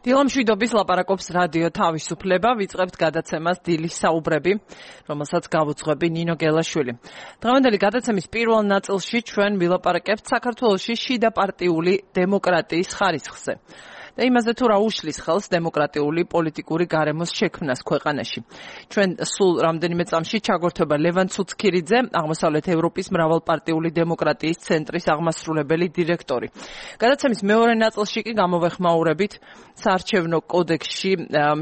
დილამშვიდობის ლაპარაკობს რადიო თავისუფლება, ვიწყებთ გადაცემას დილის საუბრები, რომელსაც გავუძღვები ნინო გელაშვილი. დღევანდელი გადაცემის პირველ ნაწილში ჩვენ ვილაპარაკებთ საქართველოში შიდა პარტიული დემოკრატიის ხარისხზე. და იმაზე თუ რა უშლის ხელს დემოკრატიული პოლიტიკური გარემოს შექმნას ქვეყანაში. ჩვენ სულ რამდენიმე წამში ჩაგვერთვება ლევან ცუცქირიძე, აღმოსავლეთ ევროპის მრავალპარტიული დემოკრატიის ცენტრის აღმასრულებელი დირექტორი. გადაცემის მეორე ნაწილში კი გამოვეხმაურებით საარჩევნო კოდექსში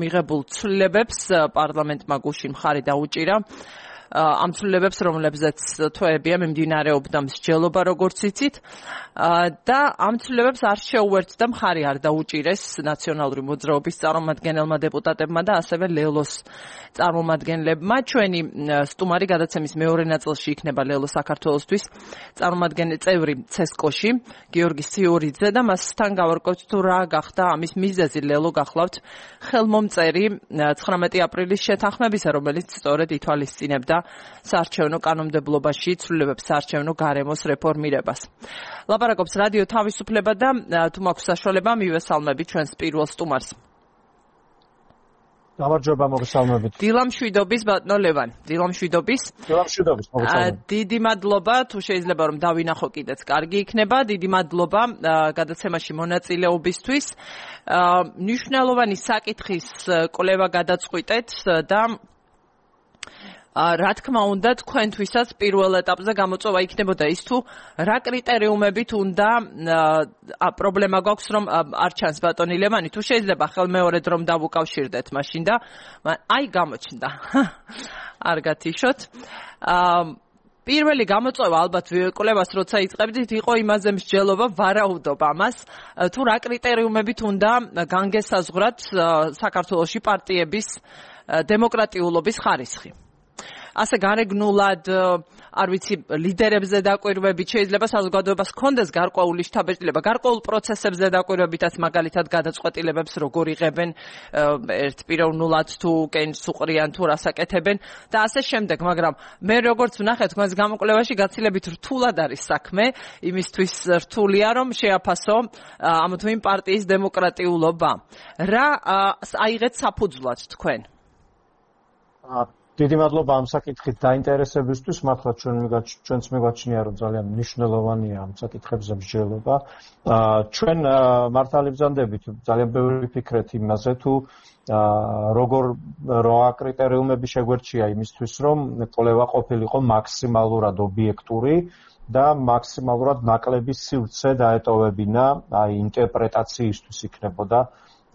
მიღებულ ცვლილებებს, პარლამენტმა გუშინ მხარი დაუჭირა. ამ ცვლილებებს, რომლებზეც თვეებია მიმდინარეობდა მსჯელობა, როგორც იცით, და ამ ცვლილებებს არ შეუერთდა მხარი არ დაუჭირეს ნაციონალური მოძრაობის წარმომადგენელმა დეპუტატებმა და ასევე ლელოს წარმომადგენლებმა. ჩვენი სტუმარი გადაცემის მეორე ნაწილში იქნება ლელო საქართველოსთვის წარმომადგენელი წევრი ცესკოში, გიორგი სიორიძე და მასთან გავარკვევთ თუ რა გახდა ამის მიზეზი. ლელო გახლავთ ხელმომწერი 19 აპრილის შეთანხმებისა, რომელიც სწორედ ითვალისწინებდა საარჩევნო კანონმდებლობაში ცვლილებებს საარჩევნო გარემოს რეფორმირებას. ლაპარაკობს რადიო თავისუფლება და თუ მაქვს საშუალება მივესალმები ჩვენს პირველ სტუმარს. გამარჯობა, მოგესალმებით. დილამშვიდობის ბატონო ლევან. დილამშვიდობის. დილამშვიდობის, მოგესალმებით. დიდი მადლობა, თუ შეიძლება რომ დავინახო კიდეც კარგი იქნება. დიდი მადლობა გადაცემაში მონაწილეობისთვის. მნიშვნელოვანი საკითხის კვლევა გადაწყვიტეთ და რა თქმა უნდა, თქვენთვისაც პირველ ეტაპზე გამოწვევა იქნებოდა ის თუ რა კრიტერიუმებით უნდა პრობლემა გვაქვს რომ არ ჩანს ბატონი ლევანი, თუ შეიძლება ხელმეორედ რომ დავუკავშირდეთ მაშინ და აი გამოჩნდა. არ გათიშოთ. პირველი გამოწვევა ალბათ კვლევას როცა იწყებდით იყო იმაზე მსჯელობა, ვარაუდობ ამას, თუ რა კრიტერიუმებით უნდა განგესაზღვრათ საქართველოში პარტიების დემოკრატიულობის ხარისხი. ასე გარეგნულად, არ ვიცი, ლიდერებზე დაკვირვებით, შეიძლება საზოგადოებას ჰქონდეს გარკვეული შთაბეჭდილება, გარკვეულ პროცესებზე დაკვირვებითაც, მაგალითად გადაწყვეტილებებს როგორ იღებენ ერთპიროვნულად თუ კენჭს უყრიან თუ რასაკეთებენ და ასე შემდეგ, მაგრამ მე როგორც ვნახეთ თქვენს გამოკვლევაში გაცილებით რთულად არის საქმე, იმისთვის რთულია რომ შეაფასო ამ თუ იმ პარტიის დემოკრატიულობა. რა აიღეთ საფუძვლად თქვენ? დიდი მადლობა ამ საკითხით დაინტერესებისთვის. მართლა ჩვენც მივაჩნია რომ ძალიან მნიშვნელოვანია ამ საკითხებზე მსჯელობა. ჩვენ მართალი ბრძანდებით ძალიან ბევრი ვიფიქრეთ იმაზე თუ როგორ რა კრიტერიუმები შეგვერჩია იმისთვის რომ კვლევა ყოფილიყო მაქსიმალურად ობიექტური და მაქსიმალურად ნაკლები სივრცე დაეტოვებინა აი ინტერპრეტაციისთვის იქნებოდა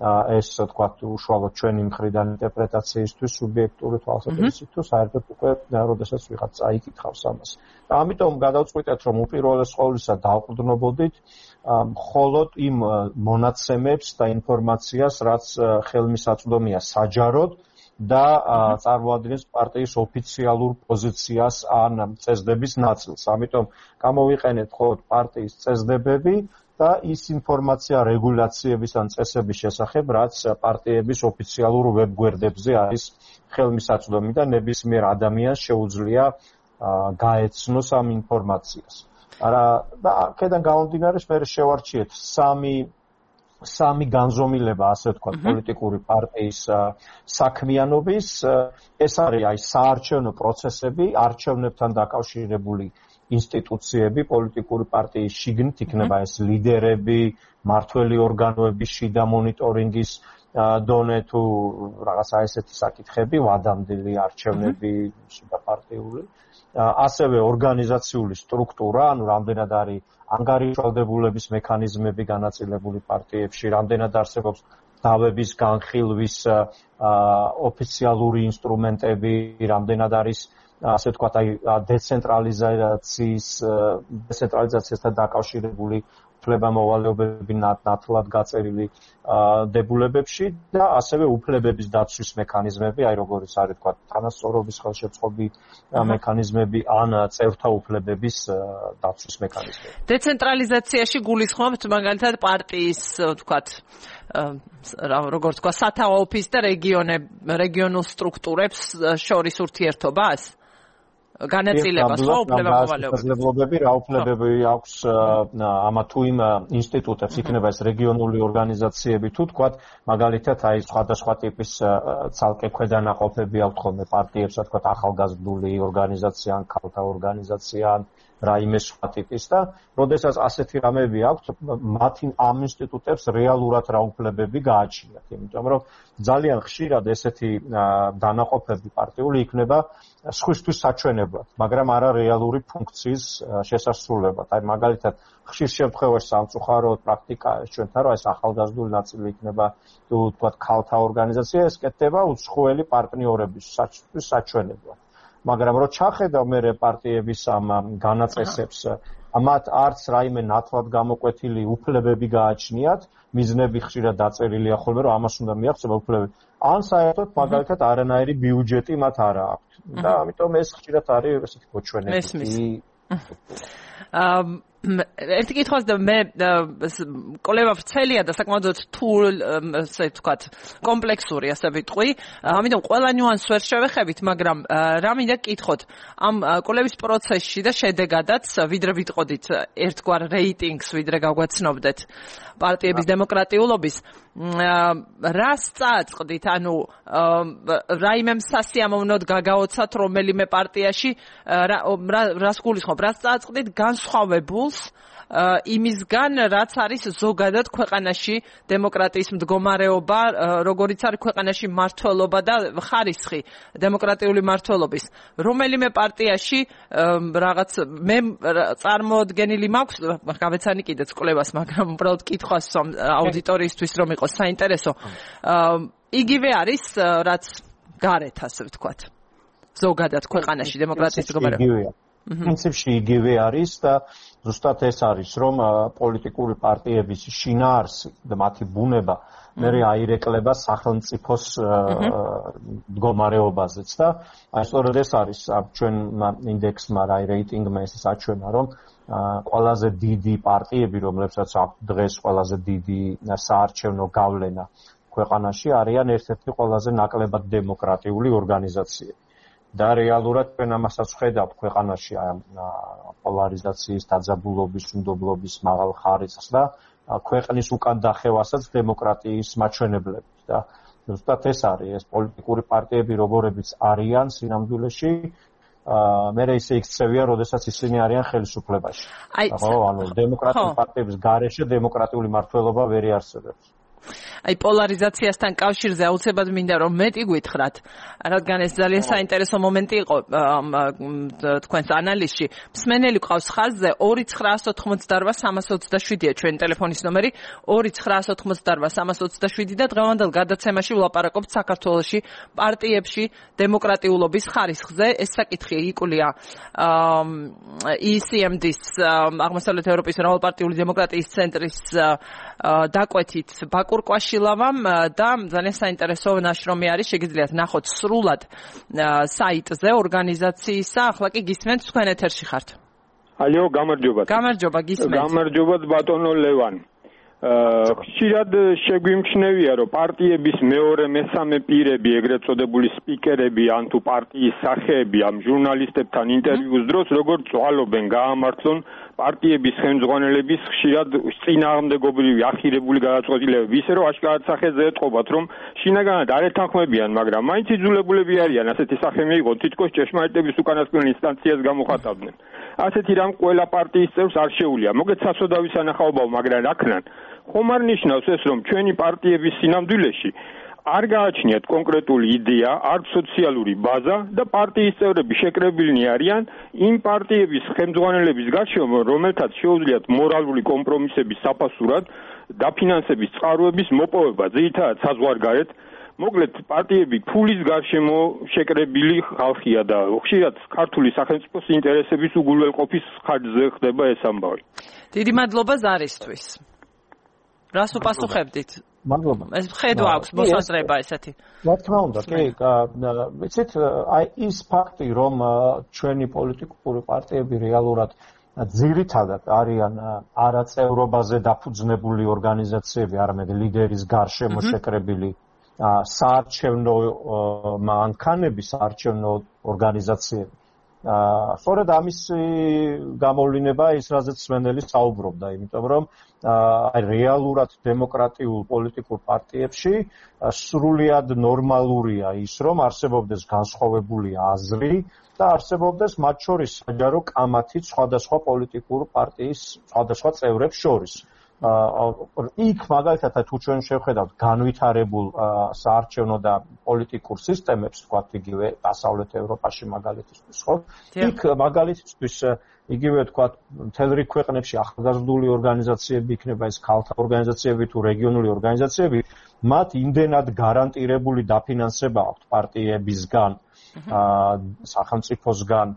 ეს თქვათ უშუალოდ ჩვენი მხრიდან ინტერპრეტაციისთვის სუბიექტური თვალსაზრისით თუ საერთოდ უკვე როდესაც ვიღაც წაიკითხავს ამას. ამიტომ გადავწყვიტეთ რომ უპირველეს ყოვლისა დავყრდნობოდით მხოლოდ იმ მონაცემებს და ინფორმაციას, რაც ხელმისაწვდომია საჯაროდ და წარმოადგენს პარტიის ოფიციალურ პოზიციას ან წესდების ნაწილს. ამიტომ გამოვიყენეთ მხოლოდ პარტიის წესდებები და ის ინფორმაცია რეგულაციების ან წესების შესახებ, რაც პარტიების ოფიციალურ ვებგვერდებზე არის ხელმისაწვდომი და ნებისმიერ ადამიანს შეუძლია გაეცნოს ამ ინფორმაციას. და აქედან გამომდინარე, მე შევარჩიეთ სამი განზომილება, ასე ვთქვათ, პოლიტიკური პარტიის საქმიანობის. ეს არის აი საარჩევნო პროცესები, არჩევნებთან დაკავშირებული ინსტიტუციები, პოლიტიკური პარტიის შიგნით იქნება ეს ლიდერები, მმართველი ორგანოების შიდა მონიტორინგის დონე თუ რაღაცა ესეთი საკითხები, ვადამდელი არჩევნები შიდა პარტიული, ასევე ორგანიზაციული სტრუქტურა, ანუ რამდენად არის ანგარიშვალდებულების მექანიზმები განაწილებული პარტიებში, რამდენად არსებობს დავების განხილვის ოფიციალური ინსტრუმენტები, რამდენად არის ასე ვთქვათ, აი დეცენტრალიზაციასთან დაკავშირებული უფლება-მოვალეობები ნათლად გაწერილი დებულებებში და ასევე უფლებების დაცვის მექანიზმები, აი როგორც არის ვთქვათ, თანასწორობის ხელშეწყობი მექანიზმები ან წევრთა უფლებების დაცვის მექანიზმები. დეცენტრალიზაციაში გულისხმობთ მაგალითად პარტიის ვთქვათ როგორც თქვა სათავო ოფისს და რეგიონულ სტრუქტურებს შორის ურთიერთობას? განაწილებას ხო უფლებამოვალეობები რა უფლებები აქვს ამა თუ იმ ინსტიტუტებს იქნება ეს რეგიონული ორგანიზაციები თუ თქვათ მაგალითად აი სხვადასხვა ტიპის ცალკე ქვედანაყოფები აქვთ ხოლმე პარტიებს რა თქვათ ახალგაზრდული ორგანიზაცია ან ქალთა ორგანიზაცია ან რაიმე სხვა ტიპის და როდესაც ასეთი რამები აქვთ მათი ამ ინსტიტუტებს რეალურად რა უფლებები გააჩნიათ იმიტომ რომ ძალიან ხშირად ესეთი დანაყოფები პარტიული იქნება სხვისთვის საჩვენებლად მაგრამ არა რეალური ფუნქციის შესასრულებლად აი მაგალითად ხშირ შემთხვევაში სამწუხაროდ პრაქტიკაა ჩვენთან რომ ეს ახალგაზრდული ნაწილი იქნება თუ თქვათ ქალთა ორგანიზაცია ეს კეთდება უცხოელი პარტნიორების საჩვენებლად მაგრამ რო ჩახედავ მე პარტიების ამ განაწესებს ამათ არც რაიმე ნათლად გამოკვეთილი უფლებები გააჩნიათ მიზნები ხშირად დაწერილია ხოლმე რომ ამას უნდა მიაღწევა უფლებები ან საერთოდ მაგალითად არანაირი ბიუჯეტი მათ არ აქვს და ამიტომ ეს ხშირად არის ესეთი მოჩვენებითი ერთი კითხვას და მე კოლევა ვრცელია და საკმაოდ რთულ ასე ვთქვათ კომპლექსური ასე ვიტყვი ამიტომ ყველა ნიუანსს ვერ შევეხებით მაგრამ რა მინდა გკითხოთ ამ კოლევის პროცესში და შედეგადაც ვიდრე ვიტყოდით ერთგვარ რეიტინგს ვიდრე გაგვაცნობდეთ პარტიების დემოკრატიულობის რას წააწყდით ანუ რაიმე სასიამოვნოდ გაგაოცათ რომელიმე პარტიაში რას გულისხმობ რას წააწყდით განსხვავებულს იმისგან რაც არის ზოგადად ქვეყანაში დემოკრატიის მდგომარეობა როგორიც არის ქვეყანაში მართლობა და ხარისხი დემოკრატიული მართლობის რომელიმე პარტიაში რაღაც მე წარმოდგენილი მაქვს გავეცანი კიდეც კვლევას მაგრამ უბრალოდ კითხვას აუდიტორიისთვის რომ იყოს საინტერესო იგივე არის რაც გარეთ ასე ვთქვათ ზოგადად ქვეყანაში დემოკრატიის მდგომარეობა პრინციპში იგივე არის და ზუსტად ეს არის რომ პოლიტიკური პარტიების შინაარსი და მათი ბუნება მე აირეკლება სახელმწიფოს მდგომარეობაზეც და აი სწორედ ეს არის ჩვენ ინდექსმა აი რეიტინგმა ეს საჩვენა რომ ყველაზე დიდი პარტიები რომლებსაც აქვს დღეს ყველაზე დიდი საარჩევნო გავლენა ქვეყანაში არიან ერთ-ერთი ყველაზე ნაკლებად დემოკრატიული ორგანიზაციები და რეალურად ჩვენ ამასაც ვხედავთ ქვეყანაში პოლარიზაციის დაძაბულობის, უნდობლობის მაღალ ხარისხს და ქვეყნის უკან დახევასაც დემოკრატიის მაჩვენებლებით და ზუსტად ეს არის ეს პოლიტიკური პარტიები როგორებიც არიან სინამდვილეში მე ისე იქცევიან, როდესაც ისინი არიან ხელისუფლებაში. ხო, ანუ დემოკრატიული პარტიების გარეშე დემოკრატიული მართლობა ვერ იარსებებს. აი პოლარიზაციასთან კავშირზე აუცილებლად მინდა რომ მეტი გითხრათ, რადგან ეს ძალიან საინტერესო მომენტი იყო თქვენს ანალიზში. მსმენელი ყავს ხაზზე 2988327-ია ჩვენი ტელეფონის ნომერი 2988327 და დღევანდელ გადაცემაში ვლაპარაკობთ საქართველოში პარტიებში დემოკრატიულობის ხარისხზე. ეს საკითხი იკვლია ECMD-ს აღმოსავლეთ ევროპის მრავალპარტიული დემოკრატიის ცენტრის დაკვეთით ბაკურკვაშილავამ და ძალიან საინტერესო ნაშრომი არის, შეგიძლიათ ნახოთ სრულად საიტზე ორგანიზაციისა. ახლა კი გისმენთ, თქვენ ეთერში ხართ. ალო, გამარჯობათ. გამარჯობა, გისმენთ. გამარჯობათ ბატონო ლევან. ხშირად შეგვიმჩნევია, რომ პარტიების მეორე, მესამე პირები, ეგრეთ წოდებული სპიკერები, ან თუ პარტიის სახეები ამ ჟურნალისტებთან ინტერვიუს დროს როგორ წვალობენ, გაამართლონ პარტიების ხელმძღვანელების ხშირად წინააღმდეგობრივი ახირებული გადაწყვეტილებები, ისე რომ აშკარად სახეზე ეტყობათ, რომ შინაგანად არ ეთანხმებიან, მაგრამ მაინც იძულებულები არიან ასეთი სახე მიიღონ, თითქოს ჭეშმარიტების უკანასკნელ ინსტანციას გამოხატავდნენ. ასეთი რამ ყველა პარტიის წევრს არ შეუძლია. მოგეთ სასოდავი სანახაობაო, მაგრამ რა ქნან? ხომ არ ნიშნავს ეს, რომ ჩვენი პარტიების სინამდვილეში არ გააჩნიათ კონკრეტული იდეა, არც სოციალური ბაზა და პარტიის წევრები შეკრებილნი არიან იმ პარტიების ხელმძღვანელების გარშემო, რომელთაც შეუძლიათ მორალური კომპრომისების საფასურად დაფინანსების წყაროების მოპოვება, ძირითადად საზღვარგარეთ. მოკლედ პარტიები ფულის გარშემო შეკრებილი ხალხია და ხშირად ქართული სახელმწიფოს ინტერესების უგულველყოფის ხარჯზე ხდება ეს ამბავი. დიდი მადლობა ზარისთვის. რას უპასუხებდით? მადლობა. ეს ხედვა აქვს მოსაზრება ესეთი. რა თქმა უნდა, კი, ვიცით, აი ის ფაქტი, რომ ჩვენი პოლიტიკური პარტიები რეალურად ძირითადად არიან არაწევრობაზე დაფუძნებული ორგანიზაციები, არამედ ლიდერის გარშემო შეკრებილი საარჩევნო მანქანები, საარჩევნო ორგანიზაციები. სწორედ ამის გამოვლინება ის რაზეც სვენელი საუბრობდა, იმიტომ რომ რეალურად დემოკრატიულ პოლიტიკურ პარტიებში სრულიად ნორმალურია ის, რომ არსებობდეს განსხვავებული აზრი და არსებობდეს მათ შორის საჯარო კამათი სხვადასხვა პოლიტიკურ პარტიის სხვადასხვა წევრებს შორის. იქ მაგალითად თუ ჩვენ შევხედავთ განვითარებულ საარჩევნო და პოლიტიკურ სისტემებს, თქვათ იგივე დასავლეთ ევროპაში მაგალითისთვის, ხო? იქ მაგალითისთვის იგივე თქვათ მთელ რიგ ქვეყნებში ახალგაზრდული ორგანიზაციები იქნება, ეს ქალთა ორგანიზაციები თუ რეგიონული ორგანიზაციები, მათ იმდენად გარანტირებული დაფინანსება აქვთ პარტიებისგან, სახელმწიფოსგან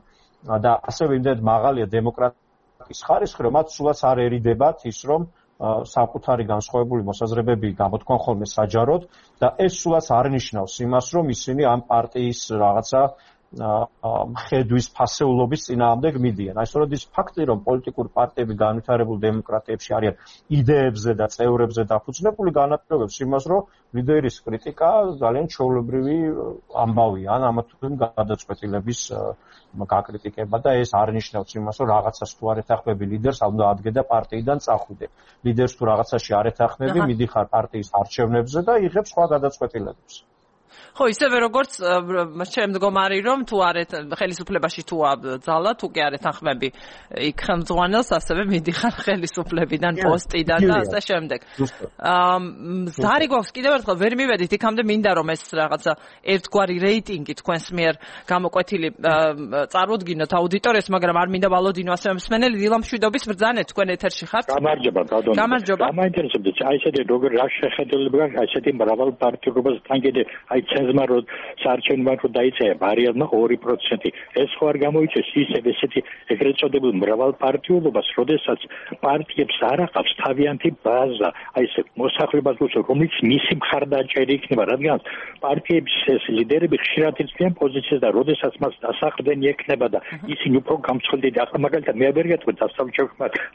და ასევე იმდენად მაღალია დემოკრატიის ხარისხი, რომ მათ სულაც არ ერიდებათ ის, რომ საკუთარი განსხვავებული მოსაზრებები გამოთქვან ხოლმე საჯაროდ და ეს სულაც არ ნიშნავს იმას, რომ ისინი ამ პარტიის რაღაცა ხედვის ფასეულობის წინააღმდეგ მიდიან. აი სწორედ ის ფაქტი, რომ პოლიტიკური პარტიები განვითარებულ დემოკრატიებში არიან იდეებზე და წევრებზე დაფუძნებული, განაპირობებს იმას, რომ ლიდერის კრიტიკა ძალიან ჩვეულებრივი ამბავია, ან ამა თუ იმ გადაწყვეტილების გაკრიტიკება და ეს არ ნიშნავს იმას, რომ რაღაცას თუ არ ეთანხმები ლიდერს, უნდა ადგე და პარტიიდან წახვიდე. ლიდერს თუ რაღაცაში არ ეთანხმები, მიდიხარ პარტიის არჩევნებზე და იღებ სხვა გადაწყვეტილებებს. ხო, ისევე როგორც შემდგომარი რომ თუ არ ხელისუფლებაში თუ ძალა, თუ კი არ ეთანხმები იქ ხელმძღვანელს, ასევე მიდიხარ ხელისუფლებიდან, პოსტიდან და ასე შემდეგ. ზარი გვაქვს კიდევ ერთხელ ვერ მივედით იქამდე, მინდა რომ ეს რაღაცა ერთგვარი რეიტინგი თქვენს მიერ გამოკვეთილი წარუდგინოთ აუდიტორიას, მაგრამ არ მინდა ვალოდინო ასევე მსმენელი დილამშვიდობის ბრძანეთ, თქვენ ეთერში ხართ? გამარჯობა, ბატონო. გამარჯობა. მაინტერესებდა აი ესეთი როგორ რა შეხედულება გაქვს ესეთი მრავალ პარტიულობას თან კიდე აი ცენზმა რო საარჩევნო რო დაიწერა ბარიერმა 2%. ეს ხო არ გამოიწეს ისევ ესეთი ეგრეთ წოდებულ მრავალ პარტიულობას, როდესაც პარტიებს არ აყავს თავიანთი ბაზა, აი ესე მოსახლეობას უსწრებს, რომელიც მისი მხარდაჭერი იქნება, რადგან პარტიების ეს ლიდერები ხშირად იციან პოზიციას და როდესაც მას დასაყრდენი ექნება და ისინი უფრო გამცხელდები. ახლა მაგალითად მე ვერ გეტყვი დასავლეთ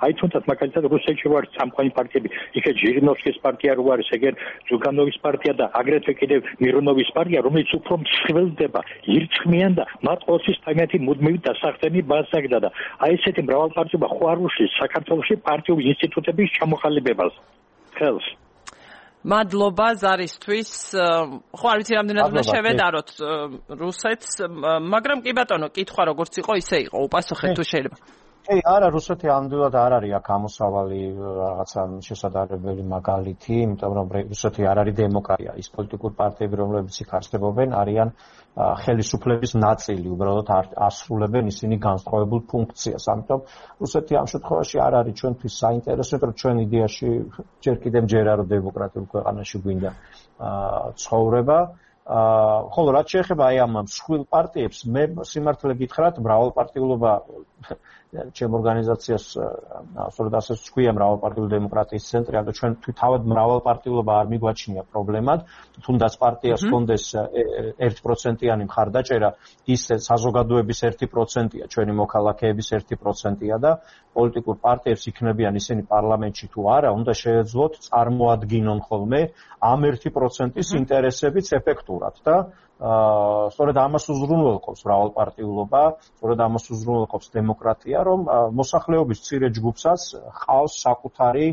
აი თუნდაც მაგალითად რუსეთში ვარ სამყარო პარტიები, იქ ჟირინოვსკის პარტია რო არის, ეგერ ზუგანოვის პარტია და აგრეთვე კიდევ მირონოვის პარტია, რომელიც უფრო მსხვილდება, ირწმიან და მათ ყოველთვის თავიანთი მუდმივი დასახდენი ბაზა აქვს და აი ესეთი მრავალპარტიობა ხო არ უშლის საქართველოში პარტიული ინსტიტუტების ჩამოყალიბებას. ხელს. მადლობა ზარისთვის. ხო არ ვიცი რამდენად უნდა შევედაროთ რუსეთს, მაგრამ კი ბატონო, კითხვა როგორც იყო, ისე იყო. უპასუხეთ თუ შეიძლება. არა, რუსეთი ამდენად არ არის აქ ამოსავალი რაღაცა შესაძლებელი მაგალითი, იმიტომ რომ რუსეთი არ არის დემოკრატია. ის პოლიტიკური პარტიები, რომლებიც იქ არსებობენ, არიან ხელისუფლების ნაწილი, უბრალოდ ასრულებენ ისინი განსხვავებულ ფუნქციას. ამიტომ რუსეთი ამ შემთხვევაში არ არის ჩვენთვის საინტერესო, რომ ჩვენ იდეაში ჯერ კიდევ მჯერა რომ დემოკრატიულ ქვეყანაში გვინდა ცხოვრება. ხოლო რაც შეეხება აი ამ მსხვილ პარტიებს, მე სიმართლე გითხრათ, მრავალპარტიულობა ჩემ ორგანიზაციას სწორედ ასე ვქვია მრავალპარტიული დემოკრატიის ცენტრი, ანუ ჩვენ თავად მრავალპარტიულობა არ მიგვაჩნია პრობლემად, თუნდაც პარტიას ჰქონდეს 1%-იანი მხარდაჭერა, ის საზოგადოების 1%-ია, ჩვენი მოქალაქეების 1%-ია და პოლიტიკურ პარტიებს იქნებიან ისინი პარლამენტში თუ არა, უნდა შეეძლოთ წარმოადგინონ ხოლმე ამ 1%-ის ინტერესებიც ეფექტურად და სწორედ ამას უზრუნველყოფს მრავალპარტიულობა, სწორედ ამას უზრუნველყოფს დემოკრატია, რომ მოსახლეობის მცირე ჯგუფსაც ჰყავს საკუთარი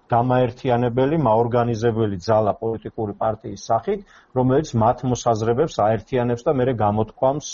გამაერთიანებელი, მაორგანიზებელი ძალა პოლიტიკური პარტიის სახით, რომელიც მათ მოსაზრებებს აერთიანებს და მერე გამოთქვამს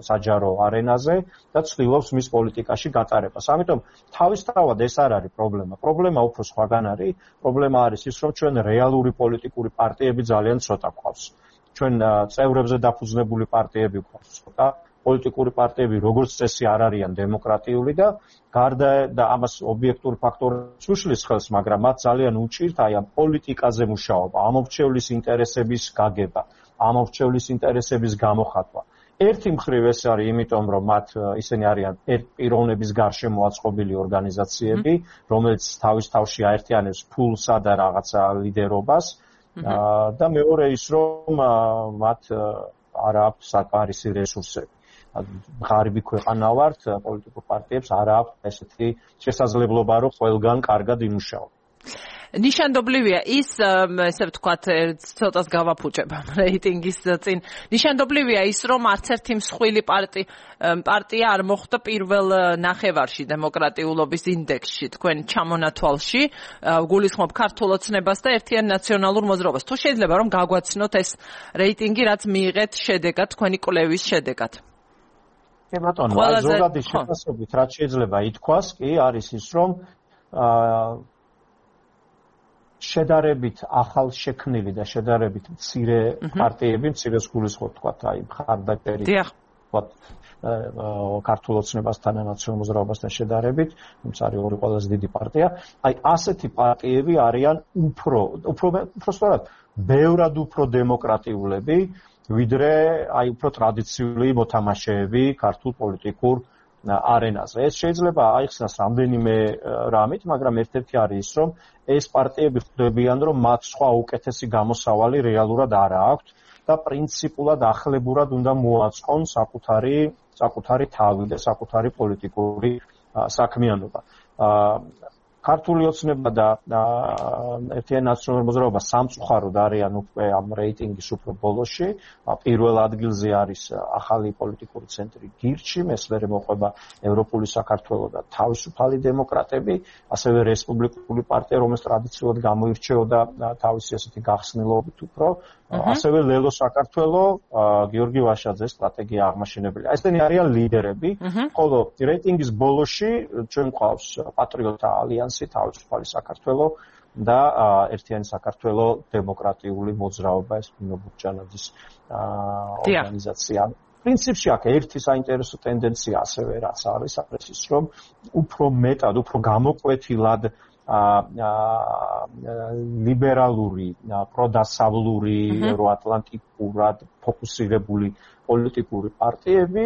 საჯარო არენაზე და ცდილობს მის პოლიტიკაში გატარებას. ამიტომ თავისთავად ეს არ არის პრობლემა. პრობლემა უფრო სხვაგან არის. პრობლემა არის ის, რომ ჩვენ რეალური პოლიტიკური პარტიები ძალიან ცოტა გვყავს. ჩვენ წევრებზე დაფუძნებული პარტიები გვყავს ცოტა. პოლიტიკური პარტიები როგორც წესი არ არიან დემოკრატიული და გარდა და ამას ობიექტური ფაქტორებს უშლის ხელს, მაგრამ მათ ძალიან უჭირთ აი ამ პოლიტიკაზე მუშაობა, ამორჩევლის ინტერესების გაგება, ამორჩევლის ინტერესების გამოხატვა. ერთი მხრივ ეს არის იმიტომ, რომ მათ ისინი არიან პიროვნების გარშემო აწყობილი ორგანიზაციები, რომელიც თავის თავში აერთიანებს ფულსა და რაღაცა ლიდერობას და მეორე ის, რომ მათ არ აქვს საკმარისი რესურსები. ღარიბი ქვეყანა ვართ, პოლიტიკურ პარტიებს არ აქვს ესეთი შესაძლებლობა, რომ ყველგან კარგად იმუშაონ. ნიშანდობლივია ის, ესე ვთქვათ, ცოტას გავაფუჭებ რეიტინგის წინ. ნიშანდობლივია ის, რომ არც ერთი მსხვილი პარტია არ მოხვდა პირველ ნახევარში დემოკრატიულობის ინდექსში, თქვენ ჩამონათვალში, გულისხმობ ქართულ ოცნებას და ერთიან ნაციონალურ მოძრაობას. თუ შეიძლება რომ გაგვაცნოთ ეს რეიტინგი, რაც მიიღეთ შედეგად, თქვენი კვლევის შედეგად. ბატონო, ზოგადი შეფასებით, რაც შეიძლება ითქვას, კი არის ის, რომ შედარებით ახალ შექმნილი და შედარებით მცირე პარტიები, მცირეს გულისხმობ თქვა, აი მხარდაჭერი თქვა ქართულ ოცნებასთან და ნაციონალურ მოძრაობასთან შედარებით, ეს არის ორი ყველაზე დიდი პარტია. აი ასეთი პარტიები არიან უფრო სწორად, ბევრად უფრო დემოკრატიულები, ვიდრე აი უფრო ტრადიციული მოთამაშეები ქართულ პოლიტიკურ არენაზე. ეს შეიძლება აიხსნას რამდენიმე რამით, მაგრამ ერთ-ერთი არის ის, რომ ეს პარტიები ხვდებიან, რომ მათ სხვა უკეთესი გამოსავალი რეალურად არ აქვთ და პრინციპულად ახლებურად უნდა მოაწყონ საკუთარი თავი და საკუთარი პოლიტიკური საქმიანობა. ქართული ოცნება და ერთიანი ნაციონალური მოძრაობა სამწუხაროდ არიან უკვე ამ რეიტინგის უფრო ბოლოში. პირველ ადგილზე არის ახალი პოლიტიკური ცენტრი გირჩი, მესმერე მოყვება ევროპული საქართველო და თავისუფალი დემოკრატები, ასევე რესპუბლიკური პარტია, რომელიც ტრადიციულად გამოირჩეოდა თავისი ასეთი გახსნილობით უფრო, ასევე ლელო საქართველო, გიორგი ვაშაძეს სტრატეგია აღმაშენებელი. ესენი არიან ლიდერები, ხოლო რეიტინგის ბოლოში ჩვენ გვყავს პატრიოტთა ალიანსი, თავისუფალი საქართველო და ერთიანი საქართველო დემოკრატიული მოძრაობა, ეს ნინო ბუქჯანაძის ორგანიზაცია. პრინციპში აქ ერთი საინტერესო ტენდენცია ასევე რაც არის, არის ის, რომ უფრო მეტად, უფრო გამოკვეთილად ლიბერალური, პროდასავლური, ევროატლანტიკურად ფოკუსირებული პოლიტიკური პარტიები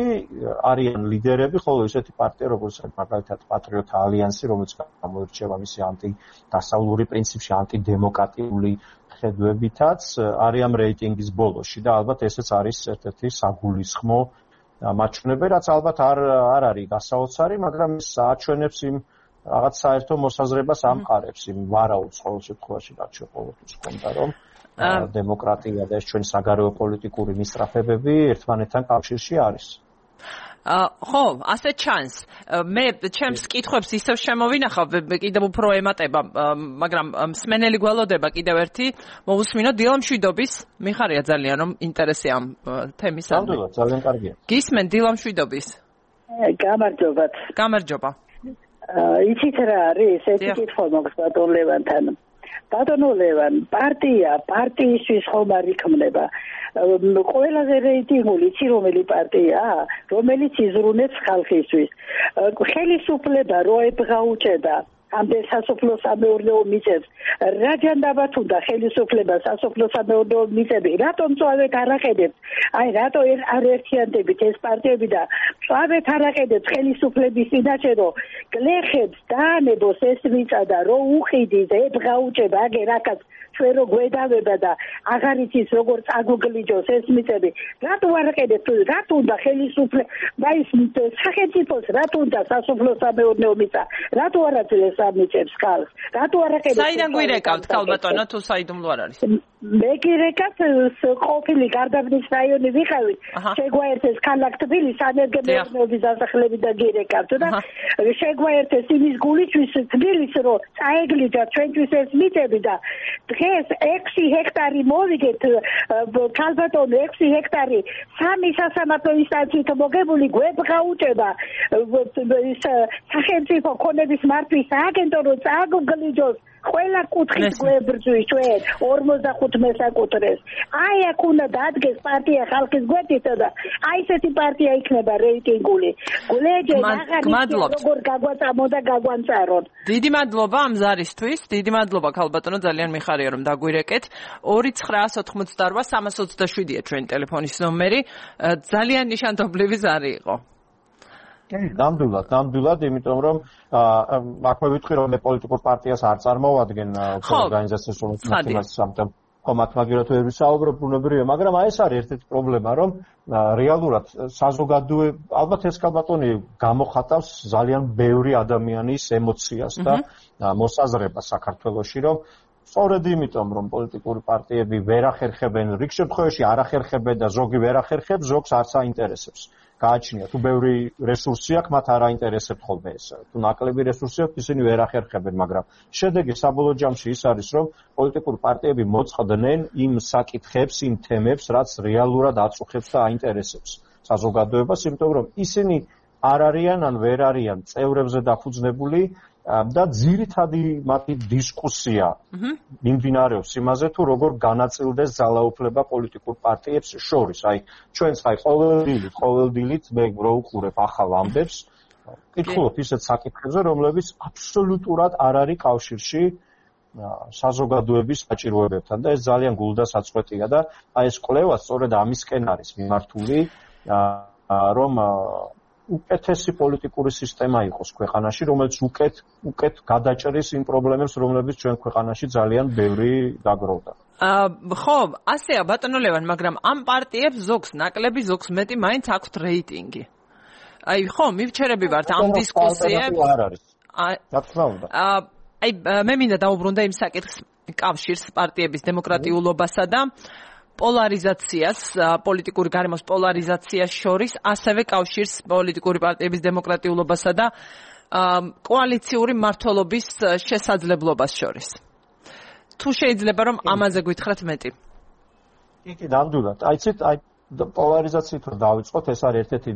არიან ლიდერები, ხოლო ესეთი პარტია, როგორც მაგალითად პატრიოტთა ალიანსი, რომელიც გამოირჩევა მისი ანტიდასავლური პრინციპში, ანტიდემოკრატიული ხედვებითაც, არიან რეიტინგის ბოლოში და ალბათ ესეც არის ერთ-ერთი საგულისხმო მაჩვენებელი, რაც ალბათ არ არის გასაოცარი, მაგრამ ეს აჩვენებს იმ რაღაც საერთო მოსაზრებას ამყარებს იმ ვარაუდს ყოველ შემთხვევაში, რაც ყოველთვის ჰქონდა, რომ დემოკრატია და ეს ჩვენი საგარეო პოლიტიკური მისწრაფებები ერთმანეთთან კავშირში არის. ხო, ასე ჩანს. მე ჩემს კითხვებს ისევ შემოვინახავ, კიდევ უფრო ემატება, მაგრამ მსმენელი გველოდება კიდევ ერთი, მოусმინოთ დილა მშვიდობის, მიხარია ძალიან რომ ინტერესი ამ თემის ამ. ნამდვილად, ძალიან კარგია. გისმენ დილა მშვიდობის. გამარჯობათ. გამარჯობა. იცით რა არის, ერთი კითხვა მაქვს ბატონ ლევანთან. ბატონო ლევან, პარტიისთვის ხომ არ იქმნება. ყველაზე რეიტინგული იცი რომელი პარტიაა, რომელიც იზრუნებს ხალხისთვის. ხელისუფლება რო ებღაუჭება ამდენ სასოფლო-სამეურნეო მიწებს, რა ჯანდაბათ უნდა ხელისუფლება სასოფლო-სამეურნეო მიწები, რატომ წავეთ არ აყენებთ? აი რატო არ ერთიანდებით ეს პარტიები და წავეთ არ აყენებთ ხელისუფლების წინაშე, რომ გლეხებს დაანებოს ეს მიწა და რო უხიდის ებღაუჭება აგერ აქაც ჩვენ რო გვედავება და აღარ იცის როგორ წაგუგლიჯოს ეს მიწები, რატო არ აყენებთ? რატო უნდა ხელისუფლება ის სახელმწიფოს, რატო უნდა სასოფლო-სამეურნეო მიწა, რატო არ აძლევს ამიწებს ხალხს, რატო არ აყენებთ? საიდან გვირეკავთ ქალბატონო, თუ საიდუმლო არ არის? მე გირეკავთ ყოფილი გარდაბნის რაიონი ვიყავით, შეგვაერთეს ქალაქ თბილისის სანერგემეურნეობის დასახლებით და გირეკავთ და შეგვაერთეს იმის გულისთვის თბილისს, რომ წაეგლიჯა ჩვენთვის ეს მიწები და დღეს 6 ჰექტარი მოვიგეთ ქალბატონო 6 ჰექტარი სამი სასამართლო ინსტანციით მოგებული გვებღაუჭება სახელმწიფო ქონების მართვის სააგენტო რომ წაგუგლიჯოს ყველა კუთხით გვებრძვის ჩვენ 45 მესაკუთრეს. აი აქ უნდა დადგეს პარტია ხალხის გვერდით და აი ესეთი პარტია იქნება რეიტინგული. გულეჯე აღარ როგორ გაგვაწამო და გაგვანწარონ. დიდი მადლობა ამ ზარისთვის. დიდი მადლობა ქალბატონო, ძალიან მიხარია რომ დაგვირეკეთ. 2988-327-ია ჩვენი ტელეფონის ნომერი. ძალიან ნიშანდობლივი ზარი იყო. ნამდვილად, იმიტომ რომ აქვე ვიტყვი რომ მე პოლიტიკურ პარტიას არ წარმოვადგენ ორგანიზაციას, რომელიც ხომათ მაგერად ვერ ვისაუბრებ ბუნებრივია, მაგრამ აი ეს არის ერთ-ერთი პრობლემა, რომ რეალურად საზოგადოება ალბათ ეს კალბატონი გამოხატავს ძალიან ბევრი ადამიანის ემოციას და მოსაზრებას საქართველოში, რომ სწორედ იმიტომ, რომ პოლიტიკური პარტიები ვერ ახერხებენ, რიგ შემთხვევაში არ ახერხებენ და ზოგი ვერ ახერხებს, ზოგს არც აინტერესებს. გააჩნია, თუ ბევრი რესურსი აქვს, მათ არ აინტერესებთ ხოლმე ეს. თუ ნაკლები რესურსი აქვს, ისინი ვერ ახერხებენ, მაგრამ შედეგი საბოლოო ჯამში ის არის, რომ პოლიტიკური პარტიები მოწყდნენ იმ საკითხებს, იმ თემებს, რაც რეალურად აწუხებს და აინტერესებს საზოგადოებას, იმიტომ რომ ისინი არ არიან ან ვერ არიან წევრებზე დაფუძნებული და ძირითადი მათი დისკუსია მიმდინარეობს იმაზე, თუ როგორ განაწილდეს ძალაუფლება პოლიტიკურ პარტიებს შორის. აი, ჩვენც აი ყოველდილით მე ვუყურებ ახალ ამბებს, ვკითხულობ ისეთ საკითხებზე, რომლებიც აბსოლუტურად არ არის კავშირში საზოგადოების საჭიროებებთან და ეს ძალიან გულდასაწყვეტია და აი ეს კვლევა სწორედ ამისკენ არის მიმართული, რომ უკეთესი პოლიტიკური სისტემა იყოს ქვეყანაში, რომელიც უკეთ გადაჭრის იმ პრობლემებს, რომლებიც ჩვენ ქვეყანაში ძალიან ბევრი დაგროვდა. ხო, ასეა ბატონო ლევან, მაგრამ ამ პარტიებს ზოგს ნაკლები, ზოგს მეტი მაინც აქვთ რეიტინგი. აი, ხო, მივჩერები ვართ ამ დისკუსიებს. არ არის. რა თქმა უნდა. აი, მე მინდა დავუბრუნდე იმ საკითხს კავშირს პარტიების დემოკრატიულობასა და პოლარიზაციას, პოლიტიკური გარემოს პოლარიზაციას შორის, ასევე კავშირს პოლიტიკური პარტიების დემოკრატიულობასა და კოალიციური მმართველობის შესაძლებლობას შორის. თუ შეიძლება რომ ამაზე გითხრათ მეტი. კი, ნამდვილად. აიცით, აი პოლარიზაციით რომ დავიწყოთ, ეს არის ერთ-ერთი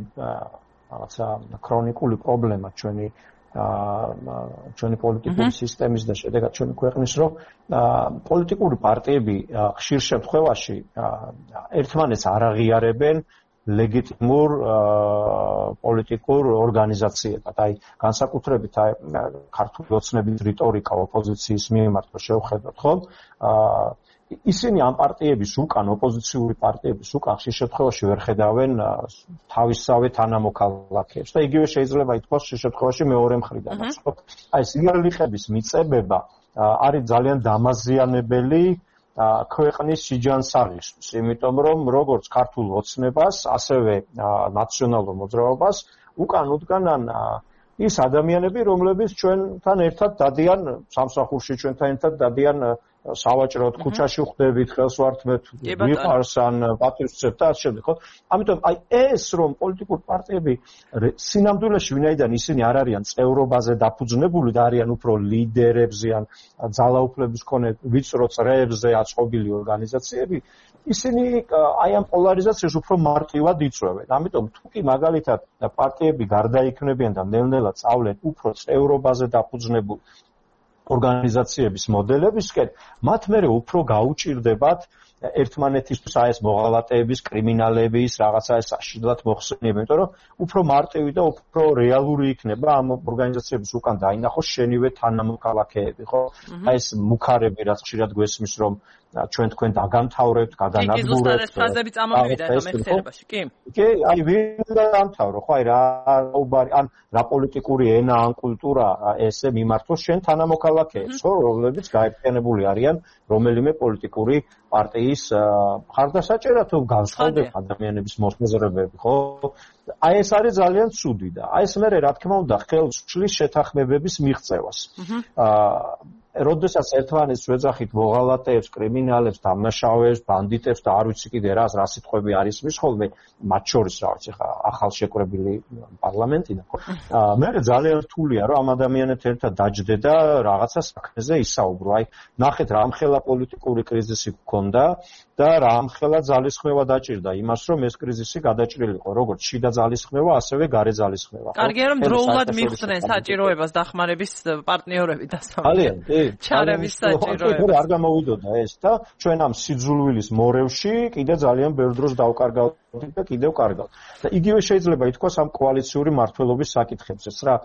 რაღაცა ქრონიკული პრობლემა ჩვენი პოლიტიკური სისტემის და შედეგად ჩვენი ქვეყნის, რომ პოლიტიკური პარტიები ხშირ შემთხვევაში ერთმანეთს არ აღიარებენ ლეგიტიმურ პოლიტიკურ ორგანიზაციებად. აი, განსაკუთრებით ქართული ოცნების რიტორიკა ოპოზიციის მიმართ შევხედოთ, ხო? ისინი ამ პარტიების უკან, ოპოზიციური პარტიების უკან ხშირ შემთხვევაში ვერ ხედავენ თავისსავე თანამოქალაქეებს და იგივე შეიძლება ითქვას ხშირ შემთხვევაში მეორე მხრიდან. აი ეს იერლიხების მიწებება არის ძალიან დამაზიანებელი ქვეყნის სიჯანსაღისთვის, იმიტომ რომ როგორც ქართულ ოცნებას, ასევე ნაციონალურ მოძრაობას უკან უდგანან ის ადამიანები, რომლებიც ჩვენთან ერთად დადიან სამსახურში, ჩვენთან ერთად დადიან სავაჭროდ, ქუჩაში ხვდებით, ხელს ვართმევთ, ვიყარს ან პატივისცემთ და ასე შემდეგ, ხო? ამიტომ აი ეს რომ პოლიტიკური პარტიები სინამდვილეში ვინაიდან ისინი არ არიან წევრობაზე დაფუძნებული და არიან უფრო ლიდერებზე ან ძალაუფლების მქონე ვიწრო წრეებზე აწყობილი ორგანიზაციები, ისინი აი ამ პოლარიზაციას უფრო მარტივად იწვევენ. ამიტომ თუ კი მაგალითად პარტიები გარდაიქმნებიან და ნელ-ნელა სწავლენ უფრო წევრობაზე დაფუძნებულ ორგანიზაციების მოდელებისკენ, მათ მერე უფრო გაუჭირდებათ ერთმანეთისთვის აი ეს მოღალატეების, კრიმინალების, რაღაცა ეს საშინლად მოხსენიება, იმიტომ რომ უფრო მარტივი და უფრო რეალური იქნება ამ ორგანიზაციების უკან დაინახოს შენივე თანამოქალაქეები, ხო? აი ეს მუქარები, რაც ხშირად გვესმის, რომ ჩვენ თქვენ დაგამთავრებთ, გადანადგურებთ. ეს ფრაზები წამომივიდა ახლა მეხსიერებაში, კი? კი, აი ვინ დამთავრო, ხო, აი ან რა პოლიტიკური ენა ან კულტურა ესე მიმართოს შენ თანამოქალაქეებს, ხო, რომლებიც გაერთიანებული არიან რომელიმე პოლიტიკური პარტიის მხარდასაჭერად თუ განსხვავდება ადამიანების მოსაზრებები, ხო? აი ეს არის ძალიან ცუდი და აი ეს მე რა თქმა უნდა ხელს უშლის შეთანხმებების მიღწევას. როდესაც ერთმანეთს ვეძახით მოღალატეებს, კრიმინალებს, დამნაშავეებს, ბანდიტებს და არ ვიცი კიდე რა სიტყვები არის მის ხოლმე, მათ შორის რა ვიცი ხა ახალ შეკრებილი პარლამენტიდან, ხო? მე ძალიან რთულია რომ ამ ადამიანებთან ერთად დაჯდე და რაღაცა საქმეზე ისაუბრო. აი, ნახეთ რამხელა პოლიტიკური კრიზისი გქონდა და რამხელა ძალისხმევა დაჭირდა იმას, რომ ეს კრიზისი გადაჭრილიყო, როგორც შიდა ძალისხმევა, ასევე გარე ძალისხმევა. კარგია რომ დროულად მიხვდნენ საჭიროებას დახმარების პარტნიორები დასავლეთ. ძალიან, კი. ჩარევის საჭიროებას. არ გამოვიდოდა ეს და ჩვენ ამ სიძულვილის მორევში კიდე ძალიან ბევრ დროს დავკარგავთ და კიდევ კარგავთ. და იგივე შეიძლება ითქვას ამ კოალიციური მმართველობის საკითხებზეც რა.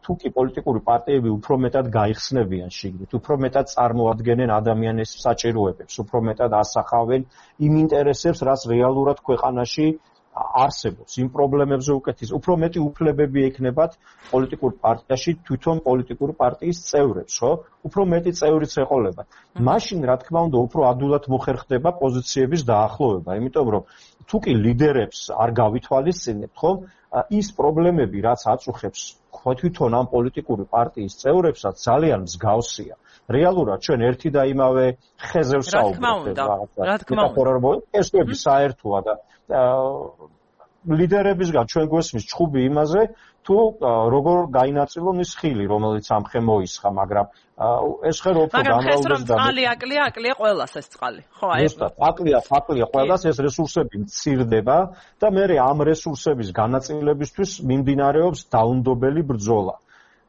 თუ კი პოლიტიკური პარტიები უფრო მეტად გაიხსნებიან შიგნით, უფრო მეტად წარმოადგენენ ადამიანის საჭიროებებს, უფრო მეტად ასახავენ იმ ინტერესებს, რაც რეალურად ქვეყანაში არსებობს იმ პრობლემებზე უკეთის, უფრო მეტი უფლებები ექნებათ პოლიტიკურ პარტიაში თვითონ პოლიტიკური პარტიის წევრებს, ხო? უფრო მეტი წევრიც ეყოლებათ. მაშინ, რა თქმა უნდა, უფრო ადვილად მოხერხდება პოზიციების დაახლოვება, იმიტომ რომ თუ კი ლიდერებს არ გავითვალისწინებთ, ხო? ის პრობლემები, რაც აწუხებს თვითონ ამ პოლიტიკური პარტიის წევრებსაც, ძალიან მსგავსია. რეალურად ჩვენ ერთი და იმავე ხეზე ვსაუბრობთ. რა თქმა უნდა. ესები საერთოა და ლიდერებისგან ჩვენ გვესმის ჭხუბი იმაზე, თუ როგორ გაინაწილონ ის ხილი, რომელიც ამ ხე მოისხა, მაგრამ ეს ხე რო უფრო გამრავლდეს და წყალი აკლია ყველას ეს წყალი. ხო, აი ზუსტად, აკლია ყველას, ეს რესურსები მცირდება და მე ამ რესურსების განაწილებისთვის მიმდინარეობს დაუნდობელი ბრძოლა.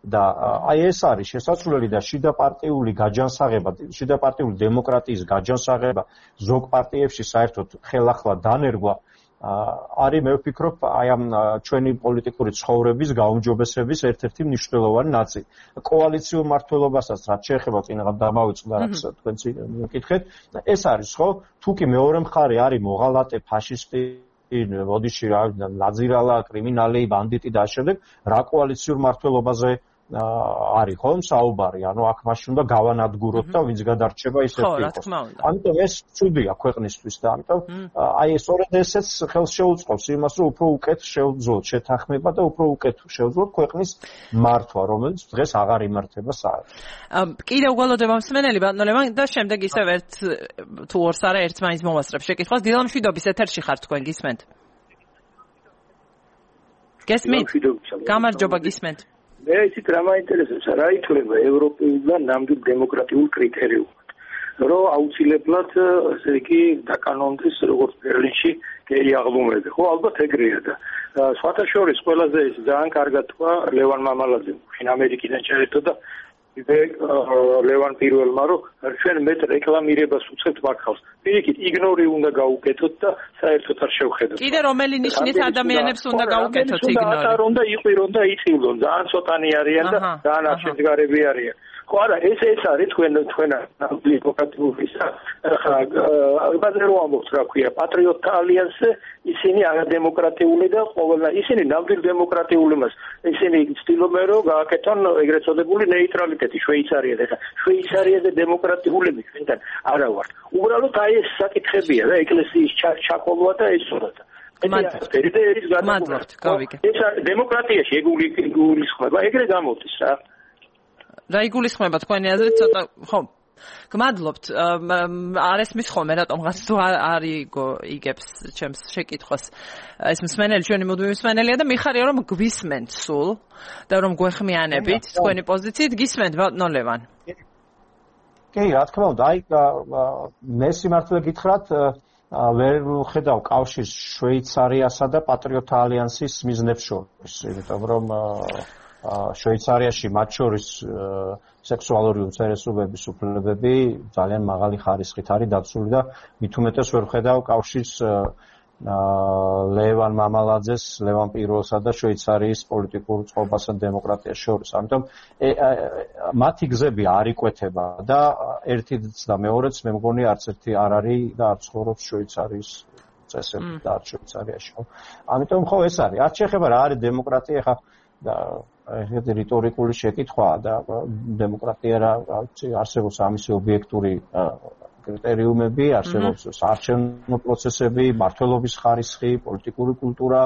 და აი ეს არის შესაძლებელი და შიდაპარტიული გაჯანსაღება, შიდაპარტიული დემოკრატიის გაჯანსაღება ზოგ პარტიებში საერთოდ ხელახლა დანერგვა არის მე ვფიქრობ აი ამ ჩვენი პოლიტიკური ცხოვრების გაუმჯობესების ერთ-ერთი მნიშვნელოვანი ნაწილი. კოალიციურ მმართველობასაც რაც შეეხება წინაღად დამავიწყდა რაც თქვენც მიკითხეთ, ეს არის ხო? თუ კი მეორე მხარე არის მოღალატე, ფაშისტი ოდიში რა ნაძირალა, კრიმინალი, ბანდიტი და შემდეგ რა კოალიციურ მმართველობაზე არის ხო საუბარი, ანუ აქ მაშინ უნდა გავანადგუროთ და ვინც გადარჩება ის ერთი იყოს. ამიტომ ეს ცუდია ქვეყნისთვის და ამიტომ აი სწორედ ესეც ხელს შეუწყობს იმას, რომ უფრო უკეთ შევძლოთ შეთანხმება და უფრო უკეთ შევძლოთ ქვეყნის მართვა, რომელიც დღეს აღარ იმართება საერთოდ. კიდევ გველოდება მსმენელი ბატონო და შემდეგ ისევ ერთ თუ ორს არა ერთს მაინც მოვასწრებ შეკითხვას. დილა მშვიდობის ეთერში ხართ თქვენ გისმენთ? გესმით? გამარჯობა გისმენთ. მე ისიც რა მაინტერესებს, რა ითვლება ევროპულ და ნამდვილ დემოკრატიულ კრიტერიუმად, რომ აუცილებლად ესე იგი დაკანონდეს როგორც ბერლინში გეი აღლუმები, ხო ალბათ ეგრეა და სხვათა შორის ყველაზე ძალიან კარგად თქვა ლევან მამალაძემ, შინ ამერიკიდან ჩაერთო და ლევან პირველმა, რომ ჩვენ მეტ რეკლამირებას უწევთ მართავს. პირიქით, იგნორი უნდა გაუკეთოთ და საერთოდ არ შევხედოთ. კიდე რომელი ნიშნის ადამიანებს უნდა გაუკეთოთ იგნორი? უნდა იყვირონ და იწილონ, ძალიან ცოტანი არიან და ძალიან აღშედგარები არიან. ხო არა, ეს არის თქვენ დემოკრატიის ბაზე რო ამბობს, რა ქვია, პატრიოტთა ალიანსზე, ისინი არადემოკრატიული და ყოველნა ისინი ნამდვილ დემოკრატიული მას. ისინი ცდილობენ რომ გააკეთონ ეგრეთ წოდებული ნეიტრალიტეტი შვეიცარიაზე და შვეიცარიაზე დემოკრატიულები ჩვენთან არა ვართ. უბრალოდ აი ეს საკითხებია და ეკლესიის ჩაკოლვა და ეს სურათა. მადლობთ, გავიგე. ეს დემოკრატიაში ეგულისხმება, ეგრე გამოდის რა. რა იგულისხმება თქვენი აზრით ცოტა ხო გმადლობთ არ ესმის ხოლმე რატომღაც თუ არ იგებს ჩემს შეკითხვას ეს მსმენელი ჩვენი მუდმივი მსმენელია და მიხარია რომ გვისმენთ სულ და რომ გვეხმიანებით თქვენი პოზიციით გისმენთ ბატონო ლევან კი რა თქმა უნდა აი მე სიმართლე გითხრათ ვერ ხედავ კავშირს შვეიცარიასა და პატრიოტთა ალიანსის მიზნებს შორის იმიტომ რომ შვეიცარიაში მათ შორის სექსუალური უმცირესობების უფლებები ძალიან მაღალი ხარისხით არის დაცული და მით უმეტეს ვერ ხედავ კავშირს ლევან მამალაძეს, ლევან პირველსა და შვეიცარიის პოლიტიკურ წყობასა და დემოკრატიას შორის. ამიტომ მათი გზები არ იკვეთება და ერთიც და მეორეც მე მგონი არც ერთი არ არის და არ ცხოვრობს შვეიცარიის წესები და არც შვეიცარიაში. ამიტომ ხო ეს არის. არ შეეხება რა არის დემოკრატია ხა და ეს რიტორიკული შეკითხვაა და დემოკრატია რა არსებობს ამისი ობიექტური კრიტერიუმები, არსებობს საარჩევნო პროცესები, მმართველობის ხარისხი, პოლიტიკური კულტურა,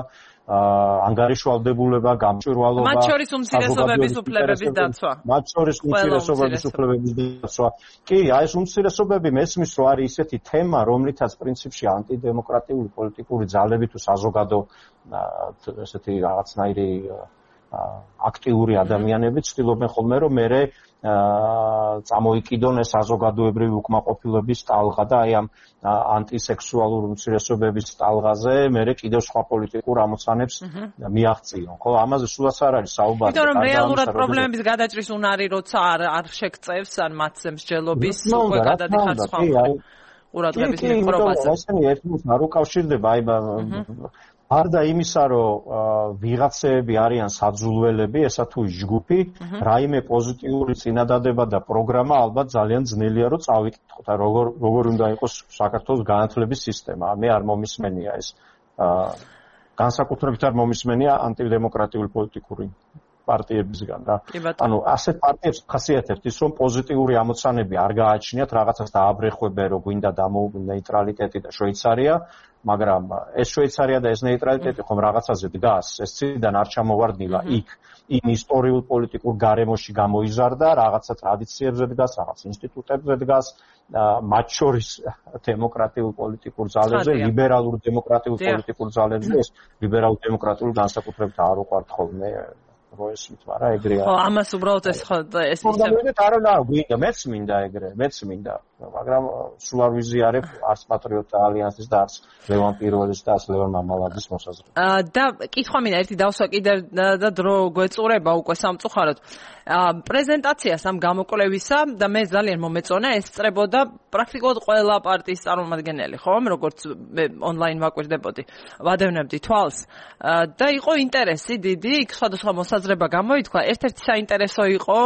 ანგარიშვალდებულება, გამჭვირვალობა, მათ შორის უმცირესობების უფლებების დაცვა. მათ შორის უმცირესობების უფლებების დაცვა. კი, აი ეს უმცირესობები მესმის რომ არის ისეთი თემა, რომლითაც პრინციპში ანტიდემოკრატიული პოლიტიკური ძალები თუ საზოგადო ესეთი რაღაცნაირი აქტიური ადამიანები ცდილობენ ხოლმე რომ მე წამოიკიდონ ეს საზოგადოებრივი უკმაყოფილების ტალღა და აი ამ ანტისექსუალურ უმცირესობების ტალღაზე მე კიდევ სხვა პოლიტიკურ ამოცანებს მიაღწიონ. ხო, ამაზე სულაც არ არის საუბარი. იმიტომ რომ რეალურად პრობლემების გადაჭრის უნარი როცა არ შეგწევს ან მათზე მსჯელობის უკვე გადადიხარ სხვა ყურადღების მიღწევაზე. ესენი ერთმანეთს არ უკავშირდება აი არდა იმისა, რომ ვიღაცები არიან საძულველები, ესა თუ ჯგუფი, რაიმე პოზიტიური წინადადება და პროგრამა ალბათ ძალიან ძნელია რომ წავიკითხოთ. როგორ უნდა იყოს საქართველოს განათლების სისტემა. მე არ მომისმენია ეს. განსაკუთრებით არ მომისმენია ანტიდემოკრატიული პოლიტიკური პარტიებისგან რა. ანუ ასეთ პარტიებს ხასიათებთ ის რომ პოზიტიური ამოცანები არ გააჩნიათ, რაღაცას დააბრეხვებენ, რომ გვინდა ნეიტრალიტეტი და შვეიცარია, მაგრამ ეს შვეიცარია და ეს ნეიტრალიტეტი ხომ რაღაცაზე დგას, ეს ციდან არ ჩამოვარდნილა იქ იმ ისტორიულ პოლიტიკურ გარემოში გამოიზარდა, რაღაცა ტრადიციებზე დგას, რაღაც ინსტიტუტებზე დგას, მათ შორის დემოკრატიულ პოლიტიკურ ძალებზე, ლიბერალურ დემოკრატიულ პოლიტიკურ ძალებზე, ეს ლიბერალურ დემოკრატიულ განსაკუთრებით არ უყვართ ხოლმე როესმით, მაგრამ ეგრეა. ხო, ამას უბრალოდ ეს ისე არა, გვინდა, მეც მინდა ეგრე, მეც მინდა, მაგრამ სულ არ ვიზიარებ არც პატრიოტთა ალიანსის და არც ლევან პირველის და ლევან მამალაძის მოსაზრებას. და კითხვა მინდა ერთი დავსვა კიდევ და დრო გვეწურება უკვე სამწუხაროდ. პრეზენტაციას ამ გამოკვლევისა და მე ძალიან მომეწონა ეს წრებოდა პრაქტიკულად ყველა პარტიის წარმომადგენელი, ხო, როგორც ონლაინ ვაკვირდებოდი, ვადევნებდი თვალს და იყო ინტერესი დიდი, იქ სხვადასხვა მოსაზრება გამოითქვა, ერთ-ერთი საინტერესო იყო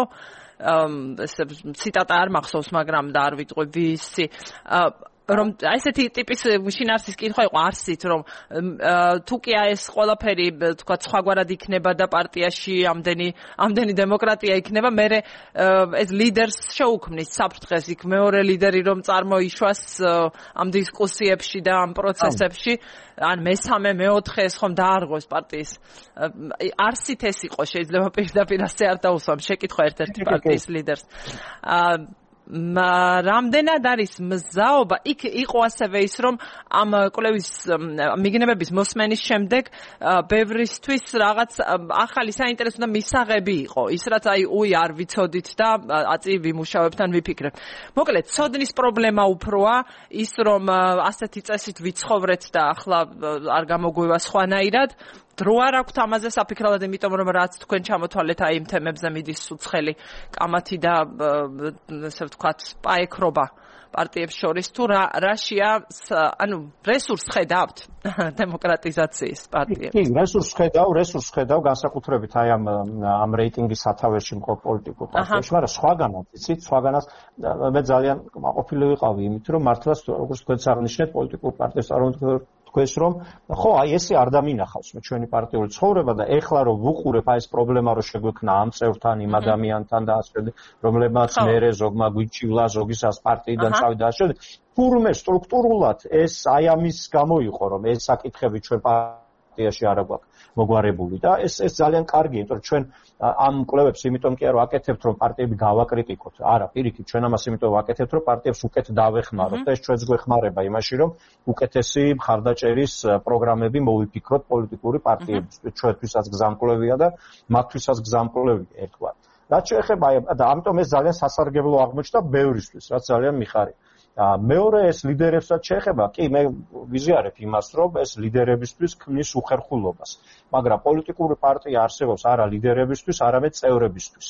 ეს ციტატა არ მახსოვს, მაგრამ და არ ვიტყვი ვისი რომ ესეთი ტიპის შინაარსის კითხვა იყო არსით, რომ თუ კი ეს ყველაფერი თქვა სხვაგვარად იქნება და პარტიაში ამდენი დემოკრატია იქნება, მე ეს ლიდერს შეუქმნის საფრთხეს, იქ მეორე ლიდერი რომ წარმოიშვას ამ დისკუსიებში და ამ პროცესებში, ან მესამე, მეოთხე ეს ხომ დაარღვევს პარტიის არსით ეს იყო, შეიძლება პირდაპირ ასე არ დაუსვამ შეკითხვა ერთ-ერთი პარტიის ლიდერს. რამდენად არის მზაობა, იქ იყო ასევე ის, რომ ამ კვლევის მიგნებების მოსმენის შემდეგ ბევრისთვის რაღაც ახალი საინტერესო და მისაღები იყო. ის რაც არ ვიცოდით და აწი ვიმუშავებთ ან ვიფიქრებთ. მოკლედ, ცოდნის პრობლემა უფროა ის, რომ ასეთი წესით ვიცხოვრეთ და ახლა არ გამოგვივა სხვანაირად. დრო არ აქვთ ამაზე საფიქრებლად, იმიტომ რომ რაც თქვენ ჩამოთვალეთ აი იმ თემებზე მიდის უცხელი კამათი და ესე ვთქვათ პაექრობა პარტიებს შორის, თუ რაშია, ანუ რესურს ხედავთ დემოკრატიზაციის პარტიებს? კი, რესურს ხედავ განსაკუთრებით აი ამ რეიტინგის სათავეში მყოფ პოლიტიკურ პარტიებში, მაგრამ სხვაგანაც მე ძალიან ყოფილი ვიყავი იმით, რომ მართლაც როგორც თქვენც აღნიშნეთ, პოლიტიკურ პარტიებს თქვენს რომ ხო, აი ესე არ დამინახავს მე ჩვენი პარტიული ცხოვრება და ეხლა რომ ვუყურებ აი ეს პრობლემა რომ შეგვექნა ამ წევრთან, იმ ადამიანთან და ასე, რომლებმაც მერე ზოგმა გვიჩივლა, ზოგისას პარტიიდან წავიდა და ასე. თურმე სტრუქტურულად ეს აი ამის გამო იყო რომ ეს საკითხები ჩვენ პარტიაში არ აგვაქვს მოგვარებული და ეს ძალიან კარგია, იმიტომ რომ ჩვენ ამ კვლევებს იმიტომ კი არ ვაკეთებთ რომ პარტიები გავაკრიტიკოთ. არა, პირიქით, ჩვენ ამას იმიტომ ვაკეთებთ რომ პარტიებს უკეთ დავეხმაროთ და ეს ჩვენს გვეხმარება იმაში რომ უკეთესი მხარდაჭერის პროგრამები მოვიფიქროთ პოლიტიკური პარტიებისთვის. ჩვენთვისაც გზამკვლევია და მათთვისაც გზამკვლევია ერთგვარი. რაც შეეხება და ამიტომ ეს ძალიან სასარგებლო აღმოჩნდა ბევრისთვის, რაც ძალიან მიხარია. მეორე ეს ლიდერებსაც შეეხება, კი, მე ვიზიარებ იმას, რომ ეს ლიდერებისთვის ქმნის უხერხულობას, მაგრამ პოლიტიკური პარტია არსებობს არა ლიდერებისთვის, არამედ წევრებისთვის.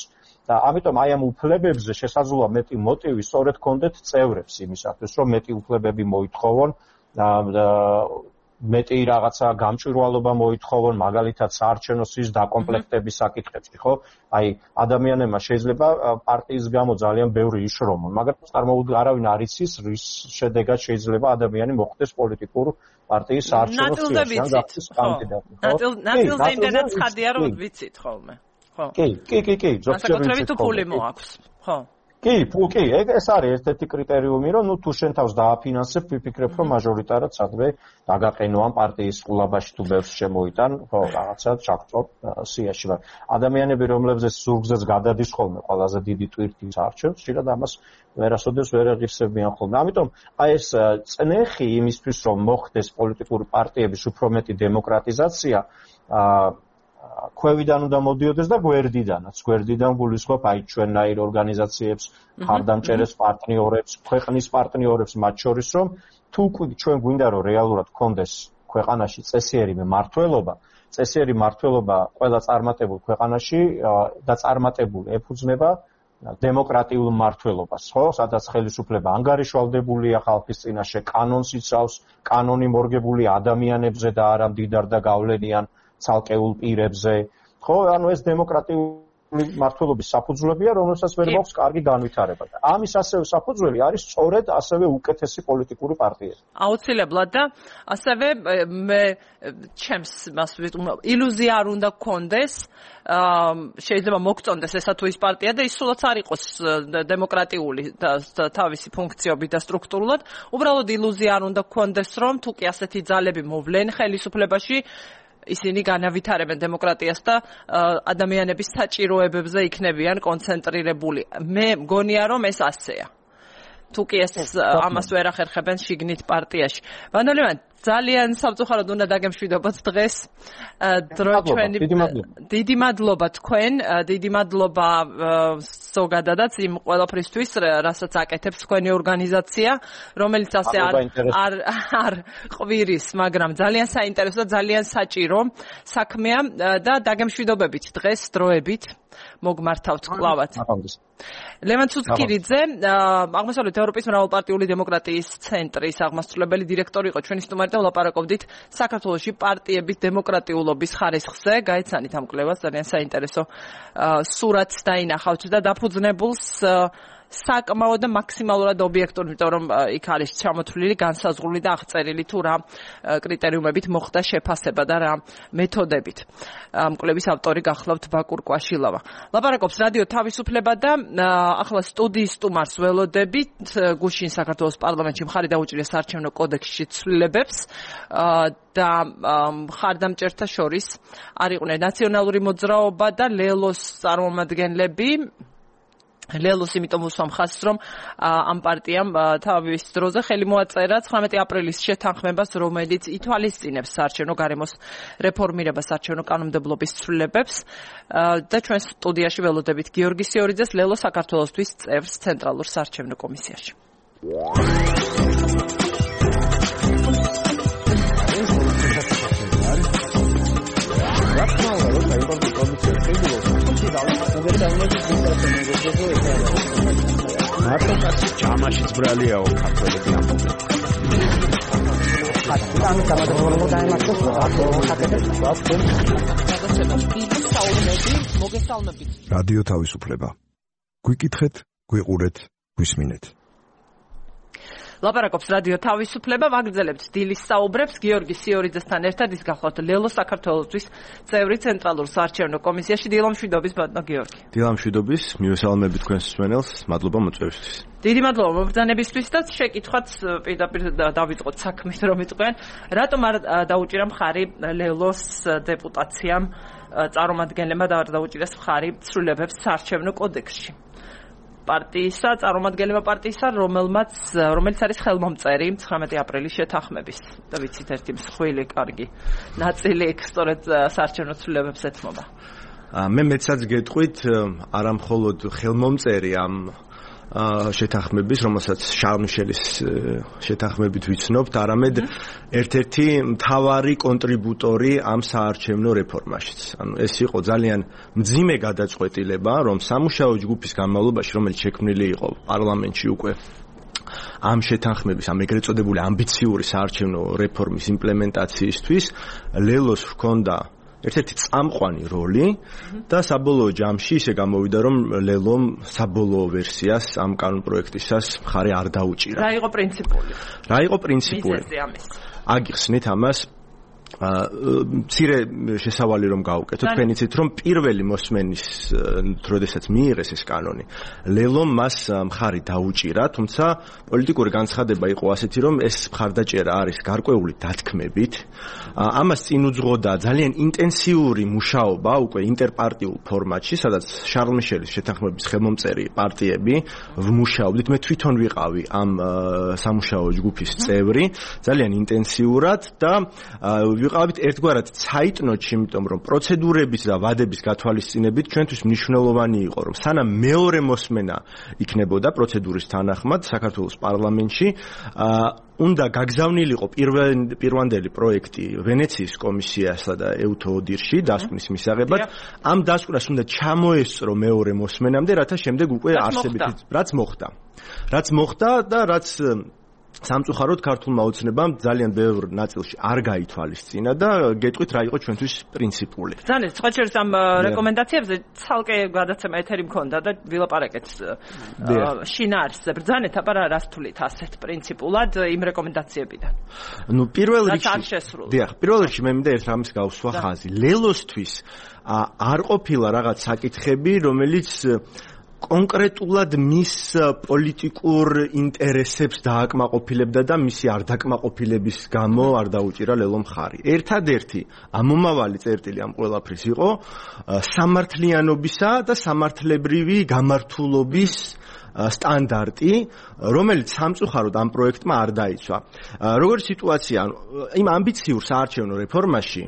და ამიტომ აი ამ უფლებებზე შესაძლოა მეტი მოტივი სწორედ გქონდეთ წევრებს იმისათვის, რომ მეტი უფლებები მოითხოვონ და მეტი რაღაცა გამჭვირვალობა მოითხოვონ, მაგალითად საარჩევნო სიის დაკომპლექტების საკითხებში, ხო? აი ადამიანებმა შეიძლება პარტიის გამო ძალიან ბევრი იშრომონ, მაგრამ არავინ არ იცის, რის შედეგად შეიძლება ადამიანი მოხვდეს პოლიტიკურ პარტიის საარჩევნო სიაში, ან გახდეს კანდიდატი, ხო? ნაწილზე იმდენად ცხადია, რომ ვიცით ხოლმე. ხო. კი, ზოგჯერ თუ ფული მოაქვს, ხო? კი, ეს არის ერთ-ერთი კრიტერიუმი, რომ თუ შენ თავს დააფინანსებ, ვიფიქრებ, რომ მაჟორიტარად სადმე დაგაყენო ამ პარტიის ყულაბაში თუ ბევრს შემოიტან, ხო, რაღაცა ჩაგწო სიაში. ადამიანები, რომლებზეც ზურგზეც გადადის ხოლმე ყველაზე დიდი ტვირთის არჩევს, ხშირად ამას ვერასოდეს ვერ აღიხსებიან ხოლმე. ამიტომ აი ეს წნეხი იმისთვის, რომ მოხდეს პოლიტიკური პარტიების უფრო მეტი დემოკრატიზაცია, ქვევიდან უნდა მოდიოდეს და გვერდიდანაც. გვერდიდან გულისხმობ აი ჩვენნაირ ორგანიზაციებს, მხარდამჭერებს, პარტნიორებს, ქვეყნის პარტნიორებს, მათ შორის რომ თუ ჩვენ გვინდა რომ რეალურად გქონდეს ქვეყანაში წესიერი მმართველობა ყველა წარმატებულ ქვეყანაში და წარმატებული ეფუძნება დემოკრატიულ მმართველობას, ხო? სადაც ხელისუფლება ანგარიშვალდებულია ხალხის წინაშე, კანონს იცავს, კანონი მორგებული ადამიანებზე და არა მდიდარ და გავლენიან ცალკეულ პირებზე. ხო, ანუ ეს დემოკრატიული მმართველობის საფუძვლებია, რომელსაც ვერ მაქვს კარგი განვითარება. და ამის ასევე საფუძველი არის სწორედ ასევე უკეთესი პოლიტიკური პარტიები. აუცილებლად და ასევე მე ჩემს ილუზია არ უნდა გქონდეს, შეიძლება მოგწონდეს ესა თუ ის პარტია და ის სულაც არ იყოს დემოკრატიული თავისი ფუნქციობით და სტრუქტურულად, უბრალოდ ილუზია არ უნდა გქონდეს, რომ თუ კი ასეთი ძალები მოვლენ ხელისუფლებაში, ისინი განავითარებენ დემოკრატიას და ადამიანების საჭიროებებზე იქნებიან კონცენტრირებული. მე მგონია, რომ ეს ასეა. თუ კი ეს ამას ვერ ახერხებენ შიგნით პარტიაში. ვანდალევან, ძალიან სამწუხაროდ უნდა დაგემშვიდობოთ დღეს. დიდი მადლობა თქვენ, დიდი მადლობა ზოგადადაც იმ ყველაფრისთვის, რასაც აკეთებს თქვენი ორგანიზაცია, რომელიც ასე არ ყვირის, მაგრამ ძალიან საინტერესო და ძალიან საჭირო საქმეა და დაგემშვიდობებით დღეს დროებით მოგმართავთ კლავად. ლევან ცუცქირიძე, აღმოსავლეთ ევროპის მრავალპარტიული დემოკრატიის ცენტრის აღმასრულებელი დირექტორი იყო ჩვენი სტუმარი და ვლაპარაკობდით საქართველოში პარტიების დემოკრატიულობის ხარისხზე. გაეცანით ამ კვლევას, ძალიან საინტერესო სურათს დაინახავთ და დაფუძნებულს საკმაოდ და მაქსიმალურად ობიექტური, იმიტომ რომ იქ არის ჩამოთვლილი, განსაზღვრული და აღწერილი თუ რა კრიტერიუმებით მოხდა შეფასება და რა მეთოდებით. ამ კვლევის ავტორი გახლავთ ბაკურ კვაშილავა. ლაპარაკობს რადიო თავისუფლება და ახლა სტუდიის სტუმარს ველოდებით. გუშინ საქართველოს პარლამენტში მხარი დაუჭირა საარჩევნო კოდექსში ცვლილებებს და მხარდამჭერთა შორის არ იყვნენ ნაციონალური მოძრაობა და ლელოს წარმომადგენლები. ლელოს იმიტომ უსვამ ხაზს, რომ ამ პარტიამ თავის დროზე ხელი მოაწერა 19 აპრილის შეთანხმებას, რომელიც ითვალისწინებს საარჩევნო გარემოს რეფორმირებას საარჩევნო კანონმდებლობის ცვლილებებს და ჩვენ სტუდიაში ველოდებით გიორგი სიორიძეს, ლელო საქართველოსთვის წევრს ცენტრალურ საარჩევნო კომისიაში. მარტო ჯამაში ძბრალიაო ქართველები ამბობენ. რადიო თავისუფლება. გვიკითხეთ, გვიყურეთ, გვისმინეთ. ლაპარაკობს რადიო თავისუფლება, ვაგრძელებთ დილის საუბრებს გიორგი სიორიძესთან ერთად, ის გახლავთ ლელო საქართველოსთვის წევრი ცენტრალურ საარჩევნო კომისიაში. დილამშვიდობის ბატონო გიორგი. დილამშვიდობის, მივესალმებით თქვენს მსმენელს, მადლობა მოწვევისთვის. დიდი მადლობა მობრძანებისთვის და შეკითხვაც პირდაპირ დავიწყოთ საქმით, რომ იყვნენ. რატომ არ დაუჭირა მხარი ლელოს დეპუტაციამ წარმომადგენლებმა და არ დაუჭირეს მხარი ცვლილებებს საარჩევნო კოდექსში? პარტიისა, წარმომადგენელმა პარტიისა, რომელიც არის ხელმომწერი 19 აპრილის შეთანხმების და ვიცით ერთი მსხვილი კარგი ნაწილი იქ სწორედ საარჩევნო ცვლილებებს ეთმობა. მე მეცაც გეტყვით, არა მხოლოდ ხელმომწერი ამ შეთანხმების, რომელსაც შარლ მიშელის შეთანხმებით ვიცნობთ, არამედ ერთ-ერთი მთავარი კონტრიბუტორი ამ საარჩევნო რეფორმაშიც. ანუ ეს იყო ძალიან მძიმე გადაწყვეტილება, რომ სამუშაო ჯგუფის განმავლობაში, რომელიც შექმნილი იყო პარლამენტში უკვე ამ შეთანხმების, ამ ეგრეთ წოდებული ამბიციური საარჩევნო რეფორმის იმპლემენტაციისთვის, ლელოს ჰქონდა ერთ-ერთი წამყვანი როლი და საბოლოო ჯამში ისე გამოვიდა, რომ ლელომ საბოლოო ვერსიას ამ კანონპროექტისას მხარი არ დაუჭირა. რა იყო პრინციპული? აგიხსნით ამას. მცირე შესავალი რომ გავუკეთოთ, თქვენ იცით, რომ პირველი მოსმენის დროდესაც მიიღეს ეს კანონი, ლელომ მას მხარი დაუჭირა, თუმცა პოლიტიკური განცხადება იყო ასეთი, რომ ეს მხარდაჭერა არის გარკვეული დათქმებით. ამას წინ უძღოდა ძალიან ინტენსიური მუშაობა უკვე ინტერპარტიულ ფორმატში, სადაც შარლ მიშელის შეთანხმების ხელმომწერი პარტიები ვმუშაობდით. მე თვითონ ვიყავი ამ სამუშაო ჯგუფის წევრი, ძალიან ინტენსიურად და ვიყავით ერთგვარად ცაიტნოტში, იმიტომ რომ პროცედურების და ვადების გათვალისწინებით ჩვენთვის მნიშვნელოვანი იყო, რომ სანამ მეორე მოსმენა იქნებოდა პროცედურის თანახმად საქართველოს პარლამენტში, უნდა გაგზავნილიყო პირვანდელი პროექტი ვენეციის კომისიასა და EUTODIR-ში დასკვნის მისაღებად. ამ დასკვნას უნდა ჩამოესწრო მეორე მოსმენამდე, რათა შემდეგ უკვე არსებითი რაც მოხდა და რაც სამწუხაროდ ქართულმა ოცნებამ ძალიან ბევრ ნაწილში არ გაითვალისწინა და გეტყვით რა იყო ჩვენთვის პრინციპული. ძალიან სხვაჩერს ამ რეკომენდაციებზე ცალკე გადაცემა ეთერი მქონდა და ვილაპარაკეთ შინაარსზე. ბრძანეთ აბა რას თulit ასეთ პრინციპულად იმ რეკომენდაციებიდან. ნუ პირველ რიგში მე მინდა ერთ რამის გავსვა ხაზი. ლელოსთვის არ ყოფილა რაღაც საკითხები, რომელიც კონკრეტულად მის პოლიტიკურ ინტერესებს დააკმაყოფილებდა და მისი არ დაკმაყოფილების გამო არ დაუჭირა ლელო მხარი. ერთადერთი ამომავალი წერტილი ამ ყველაფრის იყო სამართლიანობისა და სამართლებრივი გამართულობის სტანდარტი, რომელიც სამწუხაროდ ამ პროექტმა არ დაიცვა. Როგორც სიტუაცია, იმ ამბიციურ საარჩევნო რეფორმაში,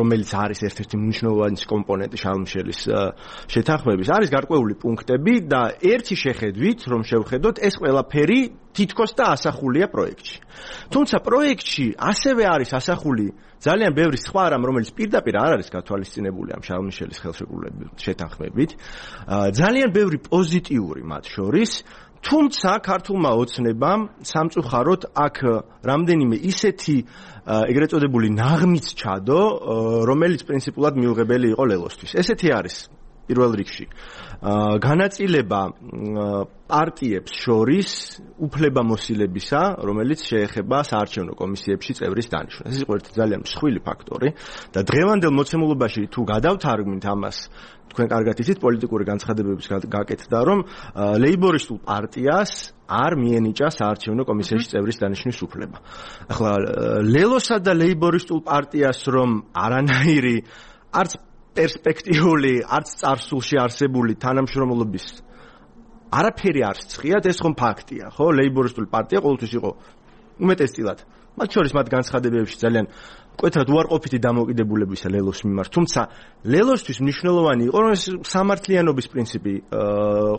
რომელიც არის ერთ-ერთი მნიშვნელოვანი კომპონენტი შარლ მიშელის შეთანხმების, არის გარკვეული პუნქტები და ერთი შეხედვით, რომ შევხედოთ, ეს ყველაფერი თითქოს და ასახულია პროექტში. თუმცა პროექტში ასევე არის ასახული ძალიან ბევრი სხვა რამ, რომელიც პირდაპირ არ არის გათვალისწინებული ამ შარლ მიშელის შეთანხმებით. ძალიან ბევრი პოზიტიური მათ შორის, თუმცა ქართულმა ოცნებამ სამწუხაროდ აქ რამდენიმე ისეთი ეგრეთ წოდებული ნაღმიც ჩადო, რომელიც პრინციპულად მიუღებელი იყო ლელოსთვის. ესეთი არის პირველ რიგში განაწილება პარტიებს შორის უფლებამოსილებისა, რომელიც შეეხება საარჩევნო კომისიებში წევრის დანიშვნას. ეს იყო ერთი ძალიან მსხვილი ფაქტორი და დღევანდელ მოცემულობაში თუ გადავთარგმნით ამას, თქვენ კარგად იცით პოლიტიკური განცხადებების გაკეთდა, რომ ლეიბორისტულ პარტიას არ მიენიჭა საარჩევნო კომისიაში წევრის დანიშვნის უფლება. ახლა ლელოსა და ლეიბორისტულ პარტიას რომ არანაირი არც პერსპექტიული, არც წარსულში არსებული თანამშრომლობის არაფერი არ სწყიათ, ეს ხომ ფაქტია, ხო? ლეიბორისტული პარტია ყოველთვის იყო უმეტესწილად. მათ შორის მათ განცხადებებში ძალიან მკვეთრად უარყოფითი დამოკიდებულებისა ლელოს მიმართ. თუმცა ლელოსთვის მნიშვნელოვანი იყო, რომ სამართლიანობის პრინციპი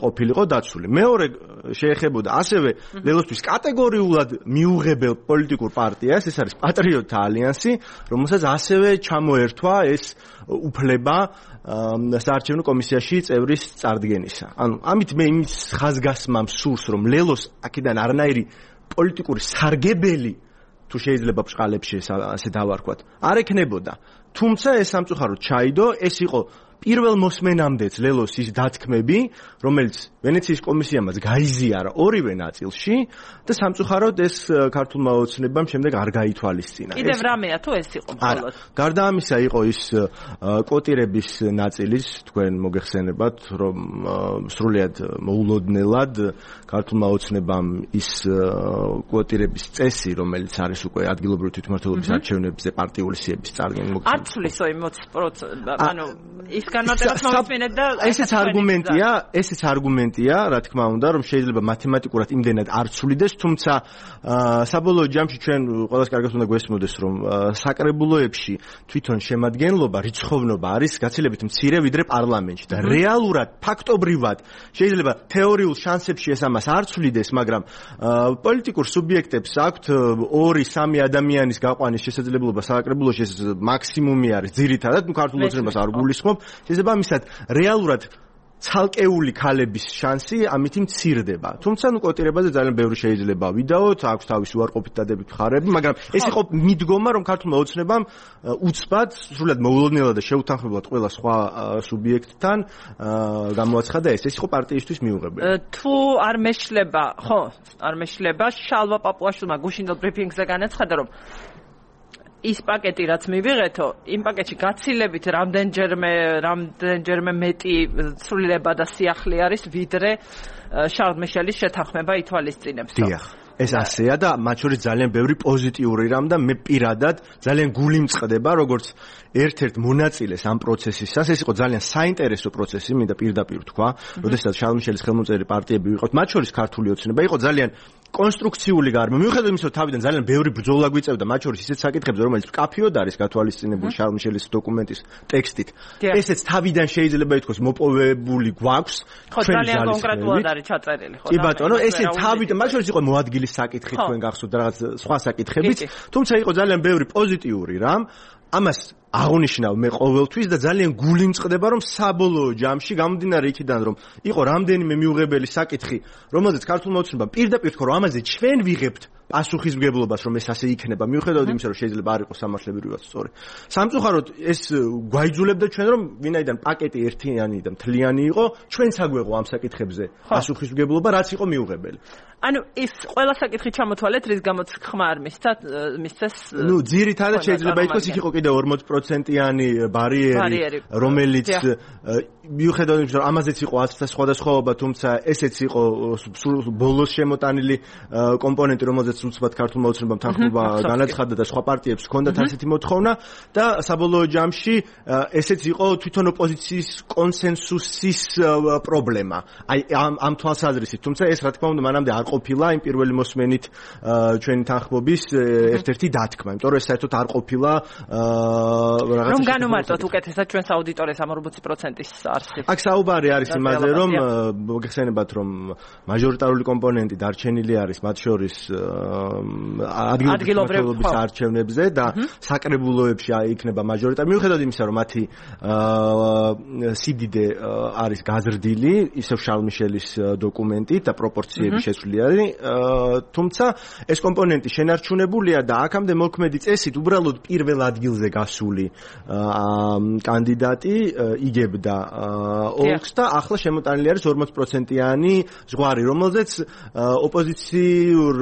ყოფილიყო დაცული. მეორე შეეხებოდა ასევე ლელოსთვის კატეგორიულად მიუღებელ პოლიტიკურ პარტიას, ეს არის პატრიოტთა ალიანსი, რომელსაც ასევე ჩამოერთვა ეს უფლება საარჩევნო კომისიაში წევრის წარდგენისა. ანუ ამით მე იმის ხაზგასმამ სურს, რომ ლელოს აქედან არანაირი პოლიტიკური სარგებელი თუ შეიძლება ბჭყალებში ასე დავარქვათ, არ ეკნებოდა. თუმცა ეს სამწუხაროდ ჩაიდო, ეს იყო პირველ მოსმენამდეც ლელოს ის დათქმები, რომელიც ვენეციის კომისიამაც გაიზიარა ორივე ნაწილში და სამწუხაროდ ეს ქართულმა ოცნებამ შემდეგ არ გაითვალისწინა. კიდევ რამეა თუ ეს იყო მხოლოდ? გარდა ამისა იყო ის კვოტირების ნაწილის, თქვენ მოგეხსენებათ, რომ სრულიად მოულოდნელად ქართულმა ოცნებამ ის კვოტირების წესი, რომელიც არის უკვე ადგილობრივი თვითმმართველობის არჩევნებზე პარტიული სიების წარდგენა მოგხსენებათ. არ ცვლიო იმ 20%, ანუ ის განმარტებას მომისმინეთ და ესეც არგუმენტია, რა თქმა უნდა, რომ შეიძლება მათემატიკურად იმდენად არ ცვლიდეს, თუმცა საბოლოო ჯამში ჩვენ ყველას კარგად უნდა გვესმოდეს, რომ საკრებულოებში თვითონ შემადგენლობა, რიცხოვნობა არის გაცილებით მცირე ვიდრე პარლამენტში და რეალურად, ფაქტობრივად შეიძლება თეორიულ შანსებში ეს ამას არ ცვლიდეს, მაგრამ პოლიტიკურ სუბიექტებს აქვთ 2-3 ადამიანის გაყვანის შესაძლებლობა საკრებულოში, ეს მაქსიმუმი არის ძირითადად, ქართულ ოცნებას არ გულისხმობ. შესაბამისად, რეალურად ცალკეული ქალების შანსი ამით მცირდება. თუმცა კვოტირებაზე ძალიან ბევრი შეიძლება ვიდაოთ, აქვს თავისი უარყოფით დადებით მხარეები, მაგრამ ეს იყო მიდგომა, რომ ქართულმა ოცნებამ უცბად, სრულად მოულოდნელად და შეუთანხმებლად ყველა სხვა სუბიექტთან გამოაცხადა ეს. ეს იყო პარტიისთვის მიუღებელი. თუ არ მეშლება, ხო, არ მეშლება, შალვა პაპუაშვილმა გუშინდელ ბრიფინგზე განაცხადა, რომ ის პაკეტი რაც მივიღეთო, იმ პაკეტში გაცილებით რამდენჯერმე მეტი ცვლილება და სიახლე არის, ვიდრე შარლ მიშელის შეთანხმება ითვალისწინებს. დიახ. ეს ასეა და მათ შორის ძალიან ბევრი პოზიტიური რამ და მე პირადად ძალიან გული მწყდება, როგორც ერთ-ერთ მონაწილეს ამ პროცესისას. ეს იყო ძალიან საინტერესო პროცესი, მინდა პირდაპირ ვთქვა, როდესაც შარლ მიშელის ხელმოწერილი პარტიები ვიყავთ, მათ შორის ქართული ოცნება იყო ძალიან კონსტრუქციული გარემო. მიუხედავად იმისა, რომ თავიდან ძალიან ბევრი ბრძოლა გვიწევდა, მათ შორის ისეთ საკითხებზე, რომელიც მკაფიოდ არის გათვალისწინებული შარლ მიშელის დოკუმენტის ტექსტით. ესეც თავიდან შეიძლება ითქვას მოპოვებული გვაქვს. ხო, ძალიან კონკრეტულად არის ჩაწერილი, ხო? კი ბატონო, ესე თავიდან, მათ შორის იყო მოადგილის საკითხი, თქვენ გახსოვთ რაღაც სხვა საკითხებიც, თუმცა იყო ძალიან ბევრი პოზიტიური რამ. ამას აღნიშნავ მე ყოველთვის და ძალიან გული მწყდება რომ საბოლოო ჯამში გამომდინარე იქიდან რომ იყო რამდენიმე მიუღებელი საკითხი რომელზეც ქართულმა ოცნებამ პირდაპირ თქვა რომ ამაზე ჩვენ ვიღებთ პასუხისმგებლობას რომ ეს ასე იქნება მიუხედავად იმისა რომ შეიძლება არ იყოს სამართლებრივად სწორი. სამწუხაროდ ეს გვაიძულებდა ჩვენ რომ ვინაიდან პაკეტი ერთიანი და მთლიანი იყო ჩვენც აგვეღო ამ საკითხებზე პასუხისმგებლობა რაც იყო მიუღებელი. ანუ ის ყველა საკითხი ჩამოთვალეთ რის გამოც ხმა არ მისცეს ნუ ძირითადად შეიძლება ითქვას იქ იყო კიდე 40%-იანი ბარიერი რომელიც მიუხედავად იმისა რომ ამაზეც იყო აცთა სხვადასხვაობა თუმცა ესეც იყო ბოლოს შემოტანილი კომპონენტი რომელზეც უცბად ქართულმა ოცნებამ თანხმობა განაცხადა და სხვა პარტიებს ჰქონდათ ასეთი მოთხოვნა და საბოლოო ჯამში ესეც იყო თვითონ ოპოზიციის კონსენსუსის პრობლემა. აი ამ თვალსაზრისით თუმცა ეს რა თქმა უნდა მანამდე არ ყოფილა იმ პირველი მოსმენით ჩვენი თანხმობის ერთ-ერთი დათქმა, იმიტომ რომ ეს საერთოდ არ ყოფილა რაღაცა რომ განუმარტოთ უკეთესად ჩვენს აუდიტორიას ამ 40%-ის არსით. აქ საუბარი არის იმაზე რომ მოგეხსენებათ რომ მაჟორიტარული კომპონენტი დარჩენილი არის მათ შორის ადგილობრივ არჩევნებზე და საკრებულოებში იქნება მაჟორიტარი მიუხედავად იმისა რომ მათი სიდიდე არის გაზრდილი ისევ შარლ-მიშელის დოკუმენტით და პროპორციები შეცვლილი თუმცა ეს კომპონენტი შენარჩუნებულია და აქამდე მოქმედი წესით უბრალოდ პირველ ადგილზე გასული კანდიდატი იგებდა ოლქს და ახლა შემოტანილი არის 40%-იანი ზღვარი, რომელზეც ოპოზიციურ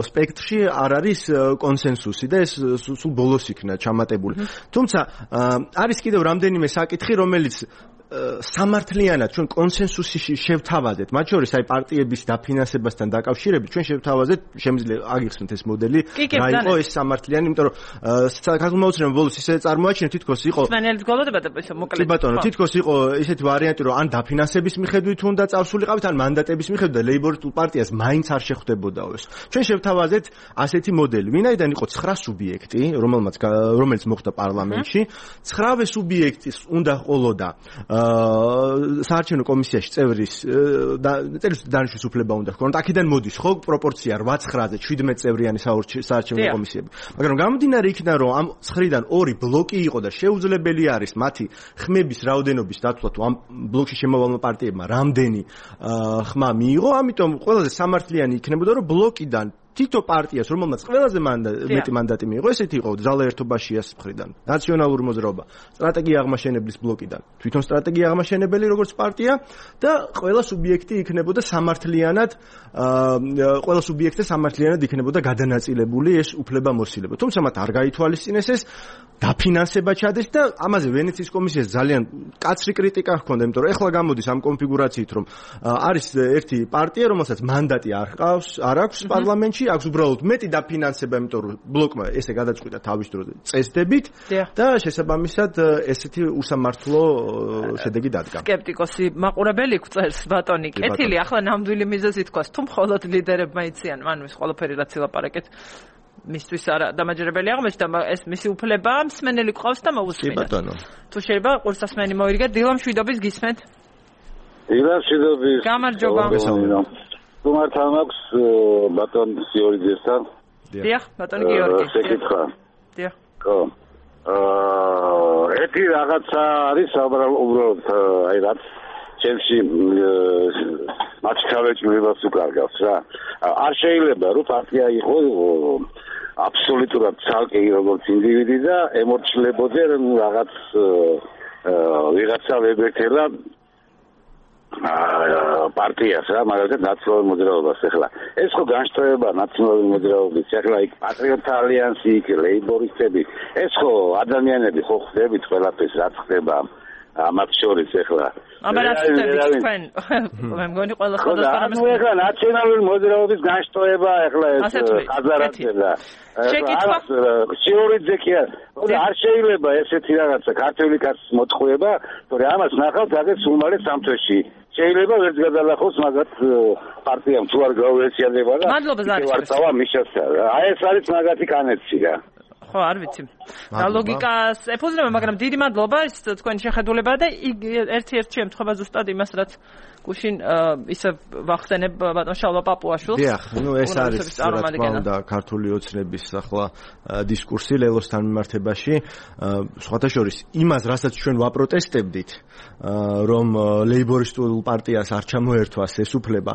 სპექტრში არ არის კონსენსუსი და ეს სულ ბოლოს იქნა ჩამატებული. თუმცა არის კიდევ რამდენიმე საკითხი, რომელიც სამართლიანად ჩვენ კონსენსუსში შევთავაზეთ, მათ შორის აი პარტიების დაფინანსებასთან დაკავშირებით ჩვენ შევთავაზეთ, შემიძლია აგიხსნით ეს მოდელი, რა იყო ეს სამართლიანი, იმიტომ რომ ქართულმა ოცნებამ ბოლოს ისე წარმოაჩინა თითქოს იყო სვენელით გოლოდება და მოკლედ. ბატონო, თითქოს იყო ისეთი ვარიანტი, რომ ან დაფინანსების მიხედვით უნდა წავსულიყავით, ან მანდატების მიხედვით და ლეიბორისტულ პარტიას მაინც არ შეხვდებოდაო ეს. ჩვენ შევთავაზეთ ასეთი მოდელი, ვინაიდან იყო 9 სუბიექტი, რომელიც მოხდა პარლამენტში, 9-ვე სუბიექტის უნდა ყოლოდა საარჩევნო კომისიაში წევრის დანიშნვის უფლება უნდა ჰქონოდა. აქედან მოდის ხო პროპორცია 8-9-ზე 17 წევრიანი საარჩევნო კომისიები. მაგრამ გამომდინარე იქიდან რომ ამ 9-დან 2 ბლოკი იყო და შეუძლებელი არის მათი ხმების რაოდენობის დაცვა თუ ამ ბლოკში შემოვალმა პარტიებმა რამდენი ხმა მიიღო, ამიტომ ყველაზე სამართლიანი იქნებოდა რომ ბლოკიდან თითო პარტიას, რომელმაც ყველაზე მეტი მანდატი მიიღო, ესეთი იყო ძალა ერთობაშიას მხრიდან, ნაციონალური მოძრაობა, სტრატეგია აღმაშენებლის ბლოკიდან, თვითონ სტრატეგია აღმაშენებელი როგორც პარტია და ყველა სუბიექტი იქნებოდა სამართლიანად, ყველა სუბიექტზე სამართლიანად იქნებოდა გადანაწილებული ეს უფლებამოსილება. თუმცა მათ არ გაითვალისწინეს ეს დაფინანსება ჩადეს და ამაზე ვენეციის კომისიას ძალიან კაცრი კრიტიკა ჰქონდა, იმიტომ რომ ეხლა გამოდის ამ კონფიგურაციით, რომ არის ერთი პარტია, რომელსაც მანდატი არ აქვს პარლამენტში, აქვს უბრალოდ მეტი დაფინანსება, იმიტომ რომ ბლოკმა ესე გადაწყვიტა თავის დროზე წესდებით და შესაბამისად ესეთი უსამართლო შედეგი დადგა. სკეპტიკოსი მაყურებელი გვწერს ბატონი კეთილი, ახლა ნამდვილი მიზეზი თქვას, თუ მხოლოდ ლიდერებმა იციან, ანუ ეს ყველაფერი რაც ილაპარაკეთ მისთვის არა დამაჯერებელი აღმოჩნდა, ეს მისი უფლება მსმენელი ყავს და მოусმინა. თუ შეიძლება ყურსასმენი მოირგეთ, დილა მშვიდობის გისმენთ. დილა მშვიდობის. გამარჯობა. თუმართან აქვს ბატონ გიორგიესთან. დიახ, ბატონ გიორგი. შეკითხვა. დიახ. ხო. ერთი რაღაცა არის უბრალოდ აი რაც ჩემში მაჩქავეჭმებას უკარგავს რა. არ შეიძლება რომ პარტია იყო აბსოლუტურად ცალკე როგორც ინდივიდი და ემორჩილებოდე რაღაც ვიღაცა ვებერთელა პარტიას რა, მაგალითად ნაციონალური მოძრაობას. ახლა ეს ხო განშტოება ნაციონალური მოძრაობის, ახლა იქ პატრიოტთა ალიანსი, იქ ლეიბორისტები, ეს ხო ადამიანები ხო ხდებით ყველაფერს რაც ხდება ამათ შორის ახლა. აბარაცდებით თქვენ. მე მგონი ყველა ხოდასთან ამას. ანუ ახლა ნაციონალური მოძრაობის განშტოება ახლა ეს ხაზარაძე და შეკითხვა შიორიძე კი არ შეიძლება ესეთი რაღაცა ქართული კაცის მოტყუება, თორე ამას ნახავთ აგერ სულ სამ თვეში. შეიძლება ვერც გადალახოს მაგათ პარტიამ თუ არ გაუეციანება და მადლობა ზარიშვილს. ვარცავა მიშასა. აი ეს არის მაგათი კანეცი რა. ხო, არ ვიცი. რა ლოგიკას ეფუძნება, მაგრამ დიდი მადლობა ის თქვენი შეხედულება და ერთ-ერთი შემთხვევა ზუსტად იმას, რაც გუშინ ისე ვახსენებ ბატონ შალვა პაპუაშვილს. დიახ, ეს არის რა თქმა უნდა ქართული ოცნების ახლა დისკურსი ლელოსთან მიმართებაში. სხვათა შორის იმას, რასაც ჩვენ ვაპროტესტებდით, რომ ლეიბორისტულ პარტიას არ ჩამოერთვას ეს უფლება,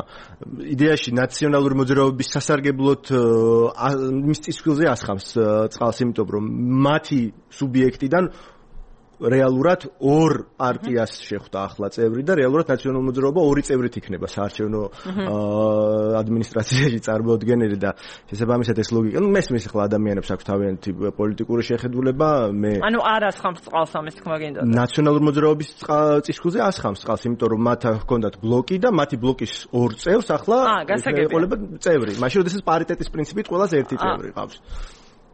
იდეაში ნაციონალური მოძრაობის სასარგებლოდ მის წისქვილზე ასხამს წყალს, იმიტომ რომ მათი სუბიექტიდან რეალურად ორ პარტიას შეხვდა ახლა წევრი და რეალურად ნაციონალური მოძრაობა ორი წევრით იქნება საარჩევნო ადმინისტრაციაში წარმოუდგენელი და შესაბამისად ეს ლოგიკა. მესმის ახლა ადამიანებს აქვს თავიანთი პოლიტიკური შეხედულება, ანუ არ ასხამს წყალს ამის თქმა გინდა. ნაციონალური მოძრაობის წისქვილზე ასხამს წყალს, იმიტომ რომ მათ ჰქონდათ ბლოკი და მათი ბლოკის ორ წევრს ახლა ეყოლება წევრი. მაშინ როდესაც პარიტეტის პრინციპით ყველას ერთი წევრი ყავს.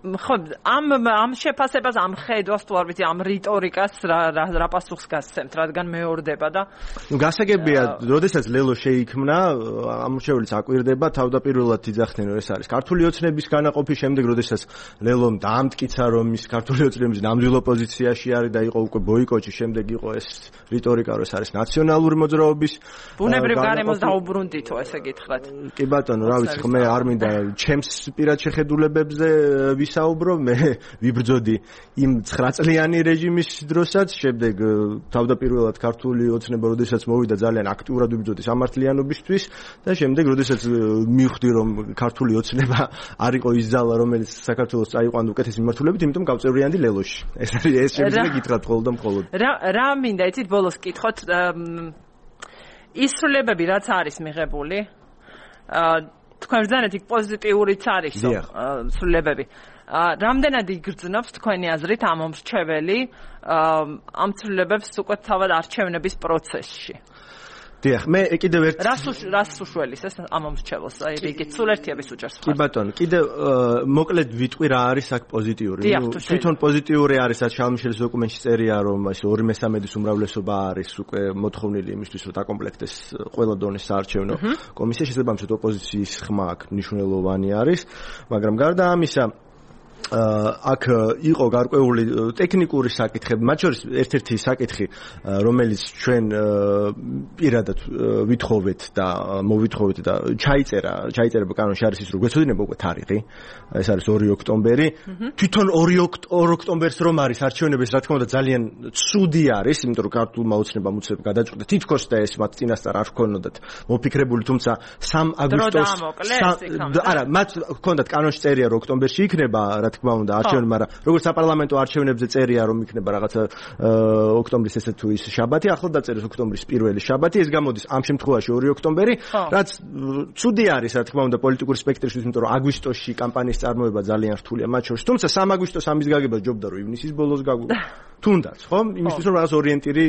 ხო, ამ შეფასებას, ამ ხედვას თუ არ ვიცი, ამ რიტორიკას რა პასუხს გასცემთ, რადგან მეორდება და გასაგებია, როდესაც ლელო შეიქმნა, ამორჩეულიც აკვირდება, თავდაპირველად იძახდნენ, რომ ეს არის ქართული ოცნების განაყოფის შემდეგ, როდესაც ლელომ დაამტკიცა, რომ ის ქართული ოცნების ნამდვილ ოპოზიციაში არის და იყო უკვე ბოიკოტი, შემდეგ იყო ეს რიტორიკა, რომ ეს არის ნაციონალური მოძრაობის. ბუნებრივ გარემოს დაუბრუნდითო, ესე გითხრათ. კი ბატონო, რა ვიცი, მე არ მინდა ჩემს პირად შეხედულებებზე საუბრო, მე ვიბრძოდი იმ 9 წლიანი რეჟიმის დროსაც, შემდეგ თავდაპირველად ქართული ოცნება როდესაც მოვიდა ძალიან აქტიურად ვიბრძოდი სამართლიანობისთვის და შემდეგ როდესაც მივხვდი რომ ქართული ოცნება არ იყო ის ძალა რომელიც საქართველოს წაიყვანდა უკეთესი მიმართულებით, იმიტომ გავწევრიანდი ლელოში. ეს შემიძლია გითხრათ მხოლოდ და მხოლოდ. რა მინდა იცით ბოლოს კითხოთ ისრულებები რაც არის მიღებული თქვენ ბრძანეთ იქ პოზიტიურიც არის სრულებები. რამდენად იგრძნობს თქვენი აზრით ამ მომრჩეველი ამ ცვლილებებს უკვე თავად არჩევნების პროცესში? დიახ, მე კიდევ ერთ რას უშველის ეს ამ მომრჩეველს? აი რიგით სულ ერთიების უჭერს. კი ბატონო, კიდევ მოკლედ ვიტყვი რა არის აქ პოზიტიური. თვითონ პოზიტიური არის, რაც შალმიშელის დოკუმენტში წერია, რომ ეს 2/3-ის უმრავლესობა არის უკვე მოთხოვნილი იმისთვის, რომ დაკომპლექტდეს ყველა დონის საარჩევნო კომისია. შესაბამისად ოპოზიციის ხმა აქ მნიშვნელოვანი არის, მაგრამ გარდა ამისა აქ იყო გარკვეული ტექნიკური საკითხები, მათ შორის ერთ-ერთი საკითხი, რომელიც ჩვენ პირადად ვითხოვეთ და მოვითხოვეთ და ჩაიწერება კანონში არის ის, რომ გვეცოდინება უკვე თარიღი, ეს არის 2 ოქტომბერი. თვითონ 2 ოქტომბერს რომ არის არჩევნების, რა თქმა უნდა ძალიან ცუდი არის, იმიტომ რომ ქართულმა ოცნებამ უცებ გადაწყვიტა თითქოს და ეს მათ წინასწარ არ ჰქონოდათ მოფიქრებული, თუმცა 3 აგვისტოს არა, მათ ჰქონდათ კანონში წერია, რომ ოქტომბერში იქნება რა თქმა უნდა არჩევნები, მაგრამ როგორც საპარლამენტო არჩევნებზე წერია, რომ იქნება რაღაცა ოქტომბრის ესე თუ ის შაბათი, ახლა დაწერეს ოქტომბრის პირველი შაბათი, ეს გამოდის ამ შემთხვევაში 2 ოქტომბერი, რაც ცუდი არის, რა თქმა უნდა, პოლიტიკური სპექტრისთვის, იმიტომ რომ აგვისტოში კამპანიის წარმოება ძალიან რთულია მათ შორის. თუმცა 3 აგვისტოს ამის გაგება ჯობდა, რომ ივნისის ბოლოს თუნდაც, ხო? იმისთვის რომ რაღაც ორიენტირი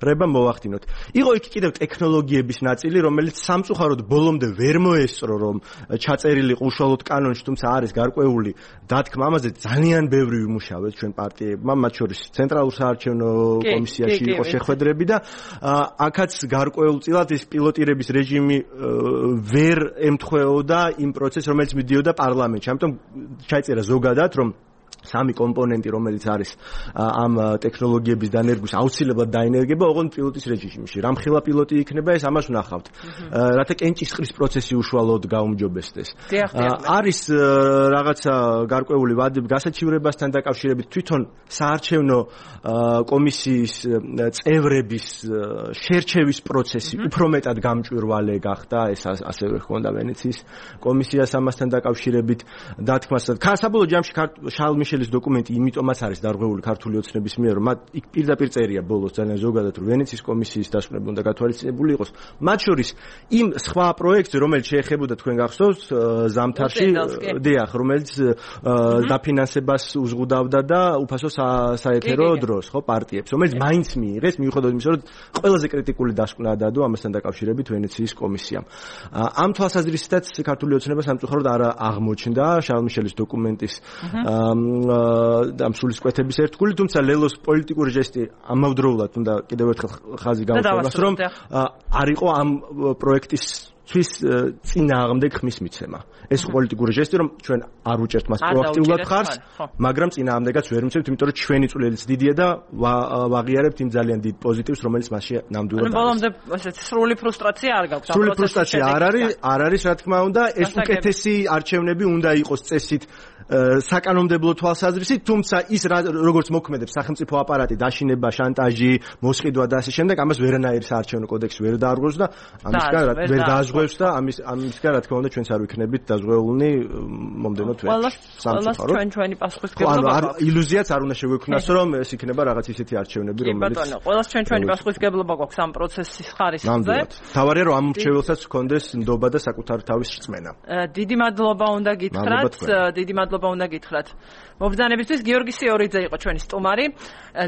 რება მოვახდინოთ. იყო იქ კიდევ ტექნოლოგიების ნაწილი, რომელიც სამწუხაროდ ბოლომდე ვერ მოესწრო, რომ ჩაწერილიყო უშუალოდ კანონში, თუმცა არის გარკვეული დათქმა ამაზე ძალიან ბევრი ვიმუშავეთ ჩვენ პარტიებმა, მათ შორის ცენტრალურ საარჩევნო კომისიაში იყო შეხვედრები და აქაც გარკვეულწილად ეს პილოტირების რეჟიმი ვერ ემთხვეოდა იმ პროცესს, რომელიც მიდიოდა პარლამენტში. ამიტომ ჩაიწერა ზოგადად, რომ 3 კომპონენტი, რომელიც არის ამ ტექნოლოგიების დანერგვის აუცილებლად დაენერგება, ოღონდ პილოტის რეჟიმში. რამხელა პილოტი იქნება, ეს ამას ვნახავთ. რათა კენჭისყრის პროცესი უშუალოდ გაუმჯობესდეს. არის რაღაცა გარკვეული ვადები გასაჩივრებასთან დაკავშირებით, თვითონ საარჩევნო კომისიის წევრების შერჩევის პროცესი უფრო მეტად გამჭვირვალე გახდა, ეს ასევე ჰქონდა ვენეციის კომისიას ამასთან დაკავშირებით დათქმას. საბოლოო ჯამში შალმიშელის დოკუმენტი იმიტომაც არის დარღვეული ქართული ოცნების მიერ, რომ მათ იქ პირდაპირ წერია ბოლოს ძალიან ზოგადად, რომ ვენეციის კომისიის დასკვნები უნდა გათვალისწინებული იყოს. მათ შორის იმ სხვა პროექტზე, რომელიც შეეხებოდა თქვენ გახსოვთ ზამთარში, დიახ, რომელიც დაფინანსებას უზღუდავდა და უფასო საეთერო დროს, ხო, პარტიებს, რომელიც მაინც მიიღეს, მიუხედავად იმისა, რომ ყველაზე კრიტიკული დასკვნა დადო ამასთან დაკავშირებით ვენეციის კომისიამ. ამ თვალსაზრისითაც ქართული ოცნება სამწუხაროდ არ აღმოჩნდა შალმიშელის დოკუმენტის ამ სულისკვეთების ერთგული, თუმცა ლელოს პოლიტიკური ჟესტი ამავდროულად უნდა კიდევ ერთხელ ხაზი გაუშვებას, რომ არ იყო ამ პროექტის თვის წინააღმდეგ ხმის მიცემა. ეს პოლიტიკური ჟესტი, რომ ჩვენ არ უჭერთ მას პროაქტიულად ხარს, მაგრამ წინააღმდეგაც ვერ მიცემთ, იმიტომ რომ ჩვენი წვლილიც დიდია და ვაღიარებთ იმ ძალიან დიდ პოზიტივს, რომელიც მასში ნამდვილად არის. ბოლომდე ესეთი სრული ფრუსტრაცია არ გაქვს. სრული ფრუსტრაცია არ არის, რა თქმა უნდა, ეს უკეთესი არჩევნები უნდა იყოს წესით საკანონმდებლო თვალსაზრისით, თუმცა ის როგორც მოქმედებს სახელმწიფო აპარატი, დაშინება, შანტაჟი, მოსყიდვა და ასე შემდეგ, ამას ვერანაირი საარჩევნო კოდექსი ვერ დაარღვევს და ამისგან ვერ დააჟღვევს და ამისგან რა თქმა უნდა ჩვენც არ ვიქნებით დაზღვეულნი მომდენო თვეში. ყველას ჩვენი პასუხისგებლობა გვაქვს. ილუზიაც არ უნდა შეგვექმნას, რომ ეს იქნება რაღაც ისეთი არჩევნები, რომელიც ყველას ჩვენი პასუხისგებლობა გვაქვს ამ პროცესის ხარისხზე. თავარია რომ ამ მრჩეველსაც ჰქონდეს ნდობა და საკუთარი თავის რწმენა. დიდი მადლობა უნდა გითხრათ. მობრძანებისთვის გიორგი სიორიძე იყო ჩვენი სტუმარი,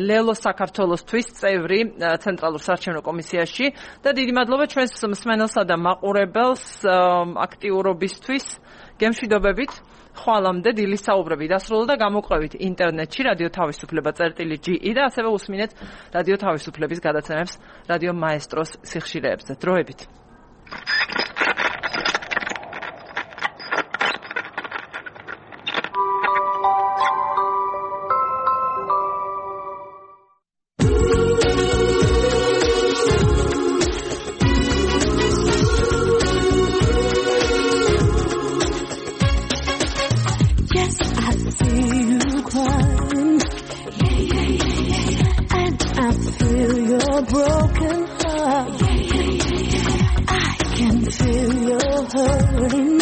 ლელო საქართველოსთვის წევრი ცენტრალურ საარჩევნო კომისიაში და დიდი მადლობა ჩვენს მსმენელსა და მაყურებელს აქტიურობისთვის. გემშვიდობებით. ხვალამდე დილის საუბრები დასრულდა და გამოყვებით ინტერნეტში რადიო თავისუფლება.ge და ასევე უსმინეთ რადიო თავისუფლების გადაცემებს რადიო მაესტროს სიხშირეებზე. დროებით. Broken heart. I can feel your hurting.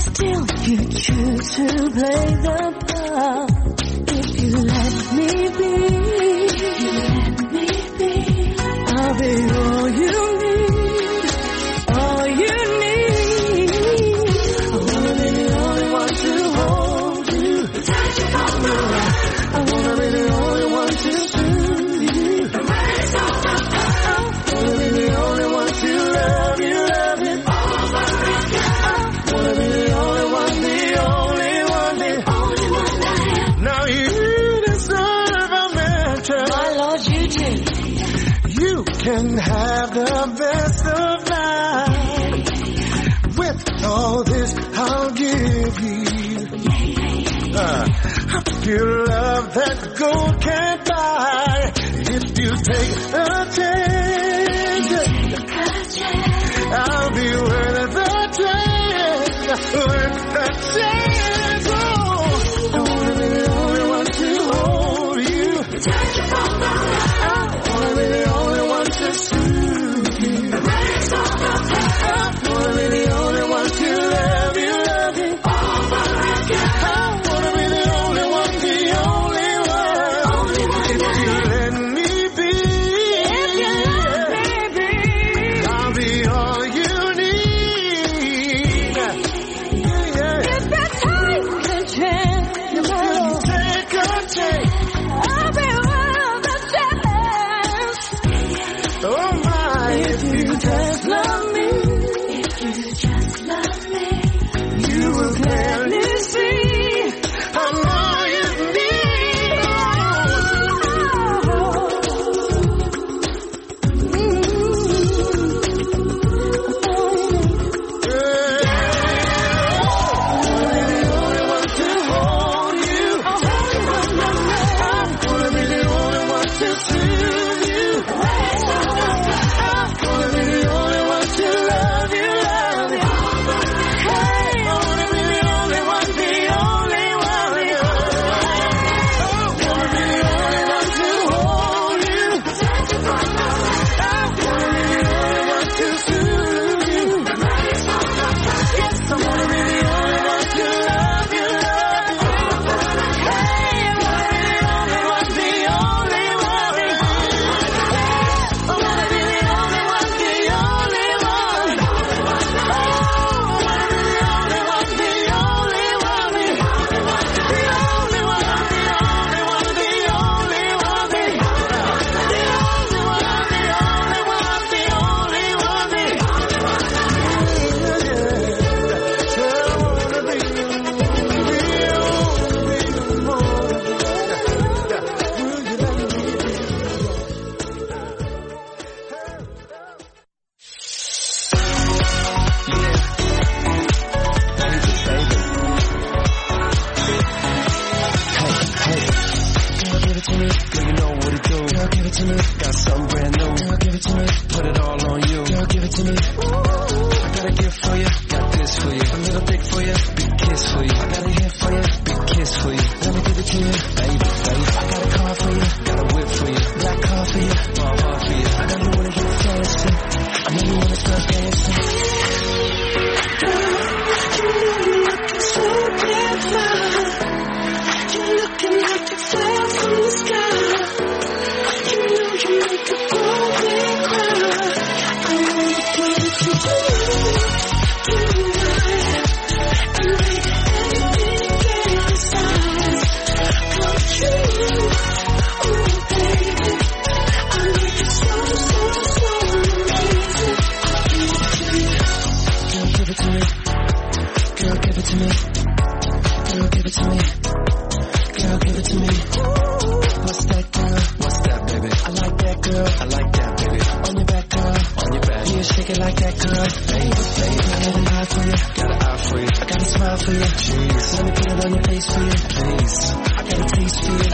Still you choose to play the part. If you let me be, I'll be all you need, all you need. I wanna be the only one to hold you, touch you from the right. I wanna be the only one to can have the best of life. With all this I'll give you a pure love that gold can't buy. If you take a chance, I'll be worth the chance, worth the chance. Oh, I wanna be the only one to hold you, touch you from the right. I wanna be the only one to soothe you. I wanna be the only one to love you over again. I wanna be the only one, if you let me be. If you to me. Girl, you know what it do. Girl, give it to me. Got something brand new. Girl, give it to me. Put it all on you. Girl, give it to me. I got a gift for you. Got this for you. A little dick for you. Big kiss for you. I got a hit for you. Big kiss for you. Let me give it to you. Baby, baby. I got a car for you. Got a whip for you. Black car for you. My heart for you. I got you wanna get fancy. I know you wanna start dancing. Girl, you know you're looking so damn fine. You're looking like you fell from the sky. You know you make a grown man cry. I wanna give it to you tonight and make everything inside come true. Oh baby, I make it so amazing. Girl, give it to me. Girl, give it to me. Girl, give it to me. Girl, give it to me. What's that, girl? What's that, baby? I like that, girl. I like that, baby. On your back, girl. On your back. Yeah, shake it like that, girl. Baby, baby. I got an eye for you. Got an eye for you. I got a smile for you. Jeez. Let me put it on your face for you, please. I got a taste for you.